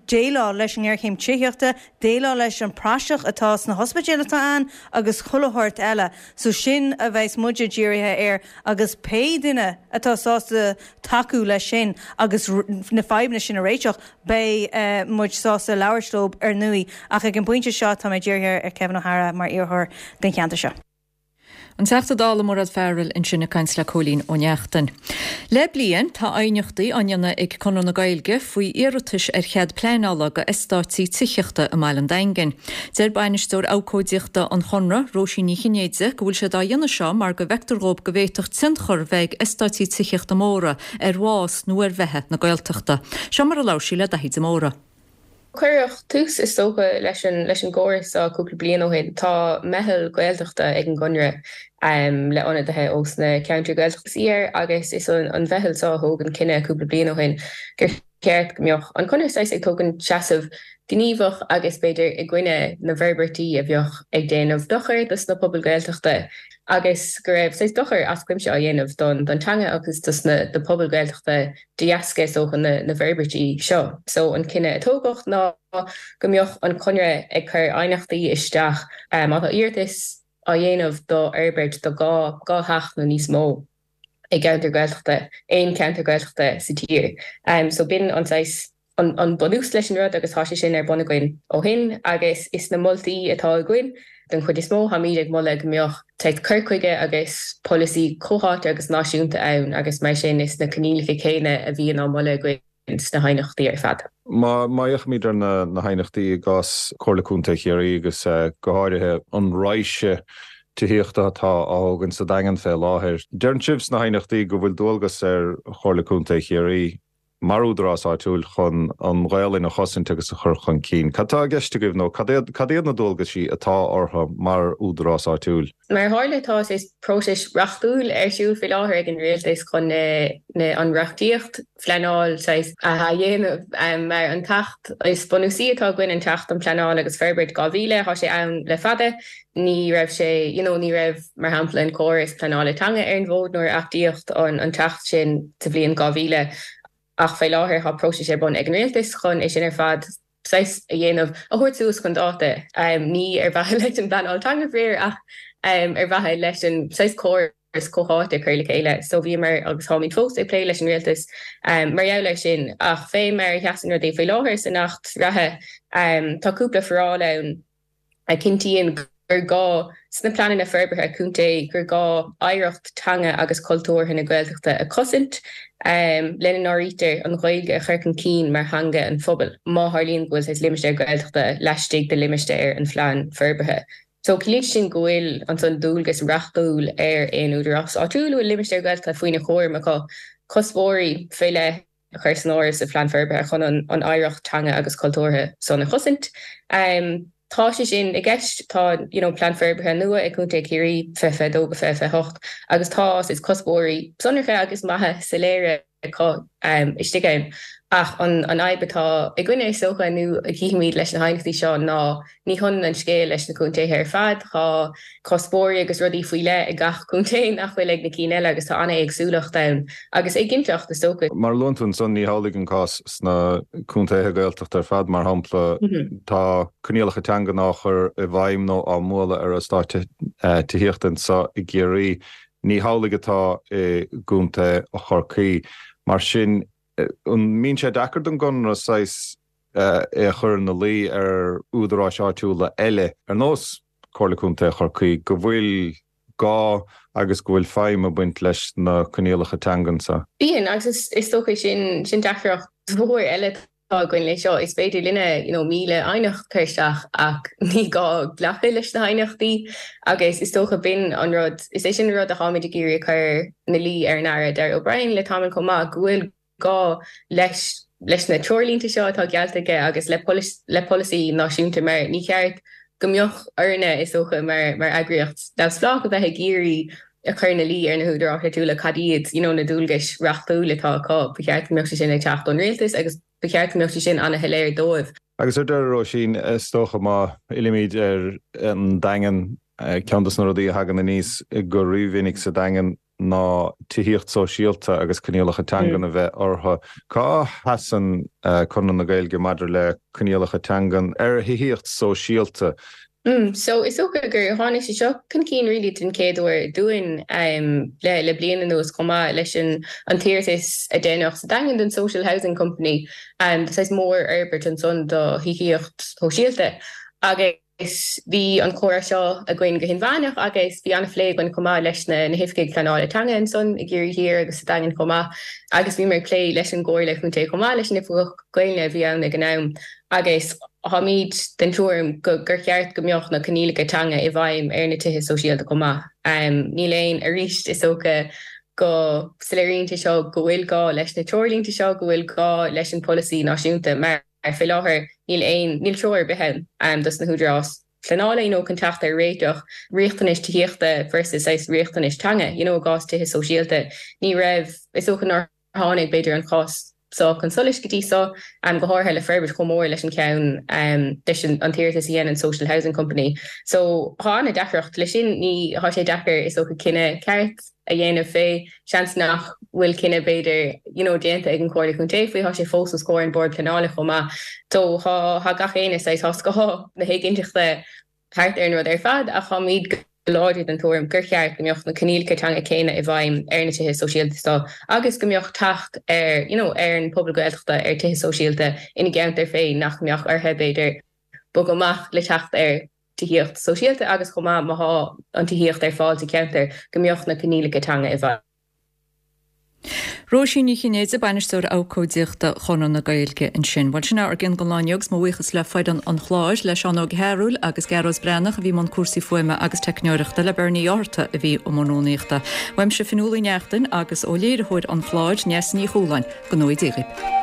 déileáil leis an ngéarchéim tithíochta, déileáil leis an praiseach atá sna hospidéil atá ann agus chuile shórt eile. So sin a bheas muide dírithe air agus pé duine atá sásta tacú leis sin agus na fadhbanna sin a réiteach, beidh muid sásta labhairt leo ar ndóigh. Ach ag an bpointe seo tá mé dírithe ar Kevin O'Hara mar iarrthóir don cheantar seo. An Teachta Dála Mairéad Farrell ansin ag caint le Cóilín Ó Neachtain. Le bliain, tá aighneachtaí á ndéanamh ag Conradh na Gaeilge faoi iarratais ar chead pleanála go eastáití tithíochta i mbaile an Daingin. Deir Bainisteoir Abhcóideachta an Chonradh, Róisín Ní Chinnéide, go bhfuil siad á dhéanamh seo mar go bhfeictear dhóibh go bhféadfadh tionchar bheith ag eastáití tithíochta móra ar bhás nó ar bheatha na Gaeltachta. Seo mar a labhair sí le Daithí de Mórdha. Cuireadh tús, is dócha, leis an leis an gcóras seo cúpla bliain ó shin. Tá meitheal Gaeltachta ag an gConradh le ionadaithe ós na ceantair Gaeltachta suí air agus is an an mheitheal seo a thóg an cinneadh cúpla bliain ó shin gur cheart go mbeadh an Conradh saghas ag tógaint seasamh gníomhach agus b'fhéidir i gcoinne na bhforbairtí a bheadh ag déanamh dochair dos na pobail Gaeltachta agus go raibh saghas dochar as cuimse á dhéanamh don don teanga agus dos na do pobail Gaeltachta de dheasca is dócha na na bhforbairtí seo. So an cinneadh a tógadh ná go mbeadh an Conradh ag cur aighneachtaí isteach má tá iarratas á dhéanamh do fhorbairt do dhá dhá theach nó níos mó i gceantar Gaeltachta, aon cheantar Gaeltachta sa tír. So b'in an saghas an bunús leis an rud agus tá sé sin ar bun againn ó shin agus is na moltaí atá againn den chuid is mó, táimid ag moladh go mbeadh saghas cur chuige agus polasaí comhtháite agus náisiúnta ann agus mar sin is na coinníollacha céanna a bhíonn á moladh againn sna haighneachtaí ar fad. Má fhéachaimid ar na haighneachtaí i gcás Chomhairle Contae Chiarraí agus go háirithe an raidhse tithíochta atá á thógaint sa Daingean fé láthair, deireann sibh sna haighneachtaí go bhfuil dualgas ar Chomhairle Contae Chiarraí mar údarás áitiúil chun an Ghaolainn a chosaint agus a chur chun cinn. Cad tá i gceist agaibh nó cad iad na dualgaisí atá orthu mar údarás áitiúil? Mar a tharla, tá saghas próiseas reachtúil ar siúl faoi láthair ag an Rialtas chun na an reachtaíocht phleanáil saghas a athdhéanamh. Mar an tAcht is bunúsaí atá againn, an tAcht um Pleanáil agus Forbairt dhá mhíle, tá sé ann le fada. Ní raibh sé, you know, ní raibh, mar shampla, an córas pleanála teanga ar an bhfód nuair a achtaíodh an tAcht sin sa bhliain dhá mhíle. Ach fé láthair tá próiseas ar bun ag an Rialtas chun é sin ar fad saghas a dhéanamh, a thabhairt suas chun dáta, ní ar mhaithe leis an bpleanáil teanga faraor ach ar mhaithe leis an saghas córas comhtháite a chur le chéile. So bhíomar agus táimid fós ag plé leis an Rialtas mar gheall air sin. Ach fé mar a sheasann rudaí faoi láthair san Acht reatha tá cúpla foráil ann, a chinntíonn gur gá, sna pleananna forbartha contae, gur gá oidhreacht teanga agus cultúrtha na Gaeltachta a chosaint, lena n-áirítear an Ghaeilge a chur chun cinn mar theanga an phobail, má tharlaíonn go bhfuil saghas limistéar Gaeltachta laistigh de limistéar an phlean forbartha. So, ciallaíonn sé sin go bhfuil ansan dualgas reachtúil ar aon údarás áitiúil a bhfuil limistéar Gaeltachta faoina chúram acu cuspóirí fé leith a chur san áireamh sa phlean forbartha chun an an oidhreacht teanga agus cultúrtha san a chosaint. Um, tá sé sin i gceist tá you know, plean forbartha nua ag Contae Chiarraí fiche fiche dó go fiche fiche hocht agus tá is cuspóirí sonracha agus maithe soiléire acu um, istigh ann. Ach an an fhadhb atá againne is dócha nó a chímid leis na haighneachtaí seo ná ní hionann an scéal leis na contaetha ar fad tá cuspóirí agus rudaí faoi leith ag gach contae nach bhfuil ag na cinn eile agus tá an-éagsúlacht ann agus éiginnteacht is dócha. Mar a luann tú ansan ní hamhlaidh an cás sna contaetha Gaeltachta ar fad mar shampla tá coinníollacha teangan á chur i bhfeidhm nó á mbualadh ar eastáit tithíochta anseo i gCiarraí. Ní hamhlaidh atá i gContae Chorcaí. Mar sin, an mbíonn sé deacair don gConradh saghas é a chur ina luí ar údaráis áitiúla eile, ar nós Comhairle Contae Chorcaí, go bhfuil gá agus go bhfuil feidhm ag baint leis na coinníollacha teangan seo? Bíonn, agus is dócha sin sin deacracht mhór eile atá againn leis seo. Is féidir linne you know, míle aighneacht a chur isteach ach ní gá glacadh leis na haighneachtaí agus is dócha b'in an rud, is é sin an rud a tháimid ag iarraidh a chur ina luí ar an Aire Darragh O'Brien le tamall chomh maith, go bhfuil gá leis leis na treoirlínte seo atá geallta aige agus le le polasaí náisiúnta mar ní cheart go mbeadh orainne is dócha mar mar eagraíocht neamhspleách a bheith ag iarraidh a chur ina luí ar na húdaráis áitiúla cad iad you know na dualgais reachtúla atá acu. Ba cheart go mbeadh sé sin ag teacht ón rialtas agus ba cheart go mbeadh sé sin an-shoiléir dóibh. Agus ar deireadh, Róisín, is dócha má fhillimid ar an Daingean, ceann de na rudaí a thagann aníos go rímhinic sa Daingean ná tithíocht sóisialta agus coinníollacha teangan a bheith orthu. Cá sheasann Conradh na Gaeilge maidir le coinníollacha teangan ar thithíocht sóisialta? Mm, so is dócha gur tháinig sé seo chun cinn really den chéad uair dúinn um, le, le bliain anuas chomh maith leis an, an t-iarratas a deineadh sa Daingean don Social Housing Company um, saghas mórfhorbairt ansan do thithíocht shóisialta agus Bhí an comhrá seo againn go hinmheánach agus bhí an-phlé againn chomh maith leis na hoifigigh pleanála teanga ansan i gCiarraí Thiar agus sa Daingean chomh maith agus bhíomar ag plé leis an gComhairle Chontae chomh maith leis an Oifigeach Gaeilge a bhí ann ag an am agus táimid den tuairim gur cheart go mbeadh na coinníollacha teanga i bhfeidhm ar na tithe sóisialta chomh maith. Níl aon, arís is dócha go soiléiríonn sé seo go bhfuil gá leis na treoirlínte seo, go bhfuil gá leis an polasaí náisiúnta mar faoi láthair níl aon, níl treoir ar bith ann dos na húdaráis pleanála you know chun teacht ar réiteach riachtanais tithíochta versus saghas riachtanais teanga you know i gcás tithe sóisialta. Ní raibh, is dócha nár tháinig b'fhéidir an cás seo chun solais go dtí seo, go háirithe le forbairt chomh mór leis an ceann leis an t-iarratas a dhein an Social Housing Company. So tá an-deacracht leis sin, ní, tá sé deacair is dócha cinneadh ceart a dhéanamh fé, seans nach bhfuil cinneadh b'fhéidir you know déanta ag an Chomhairle Contae faoi, tá sé fós os comhair an Bord Pleanála chomh maith. So tá tá gach éinne saghas, tá scáth na héiginnteachta thart ar an rud ar fad ach táimid go láidir den tuairim gur cheart go mbeadh na coinníollacha teanga céanna i bhfeidhm ar na tithe sóisialta seo agus go mbeadh teacht ar you know ar an pobal Gaeltachta ar tithe sóisialta ina gceantar féin nach mbeadh orthu b'fhéidir bogadh amach le teacht ar tithíocht sóisialta agus chomh maith má thá an tithíocht ar fáil sa cheantar go mbeadh na coinníollacha teanga i bhfeidhm. Róisín Ní Chinnéide, Bainisteoir Abhcóideachta Chonradh na Gaeilge ansin. Bhuel, sin ár gceann don lá inniu agus mo bhuíochas le foireann an chláir, le Seán Óg Ó Cearúil agus Gearóid Breathnach a bhí i mbun cúrsaí fuaime agus teicneoireachta, le Bernie Ó hÁrta a bhí i mbun rúnaíochta. Uaimse Fionnuala Uí Neachtain agus ó léiritheoir an chláir, Neasa Ní Chualáin, go ngnóthaí Dia dhaoibh.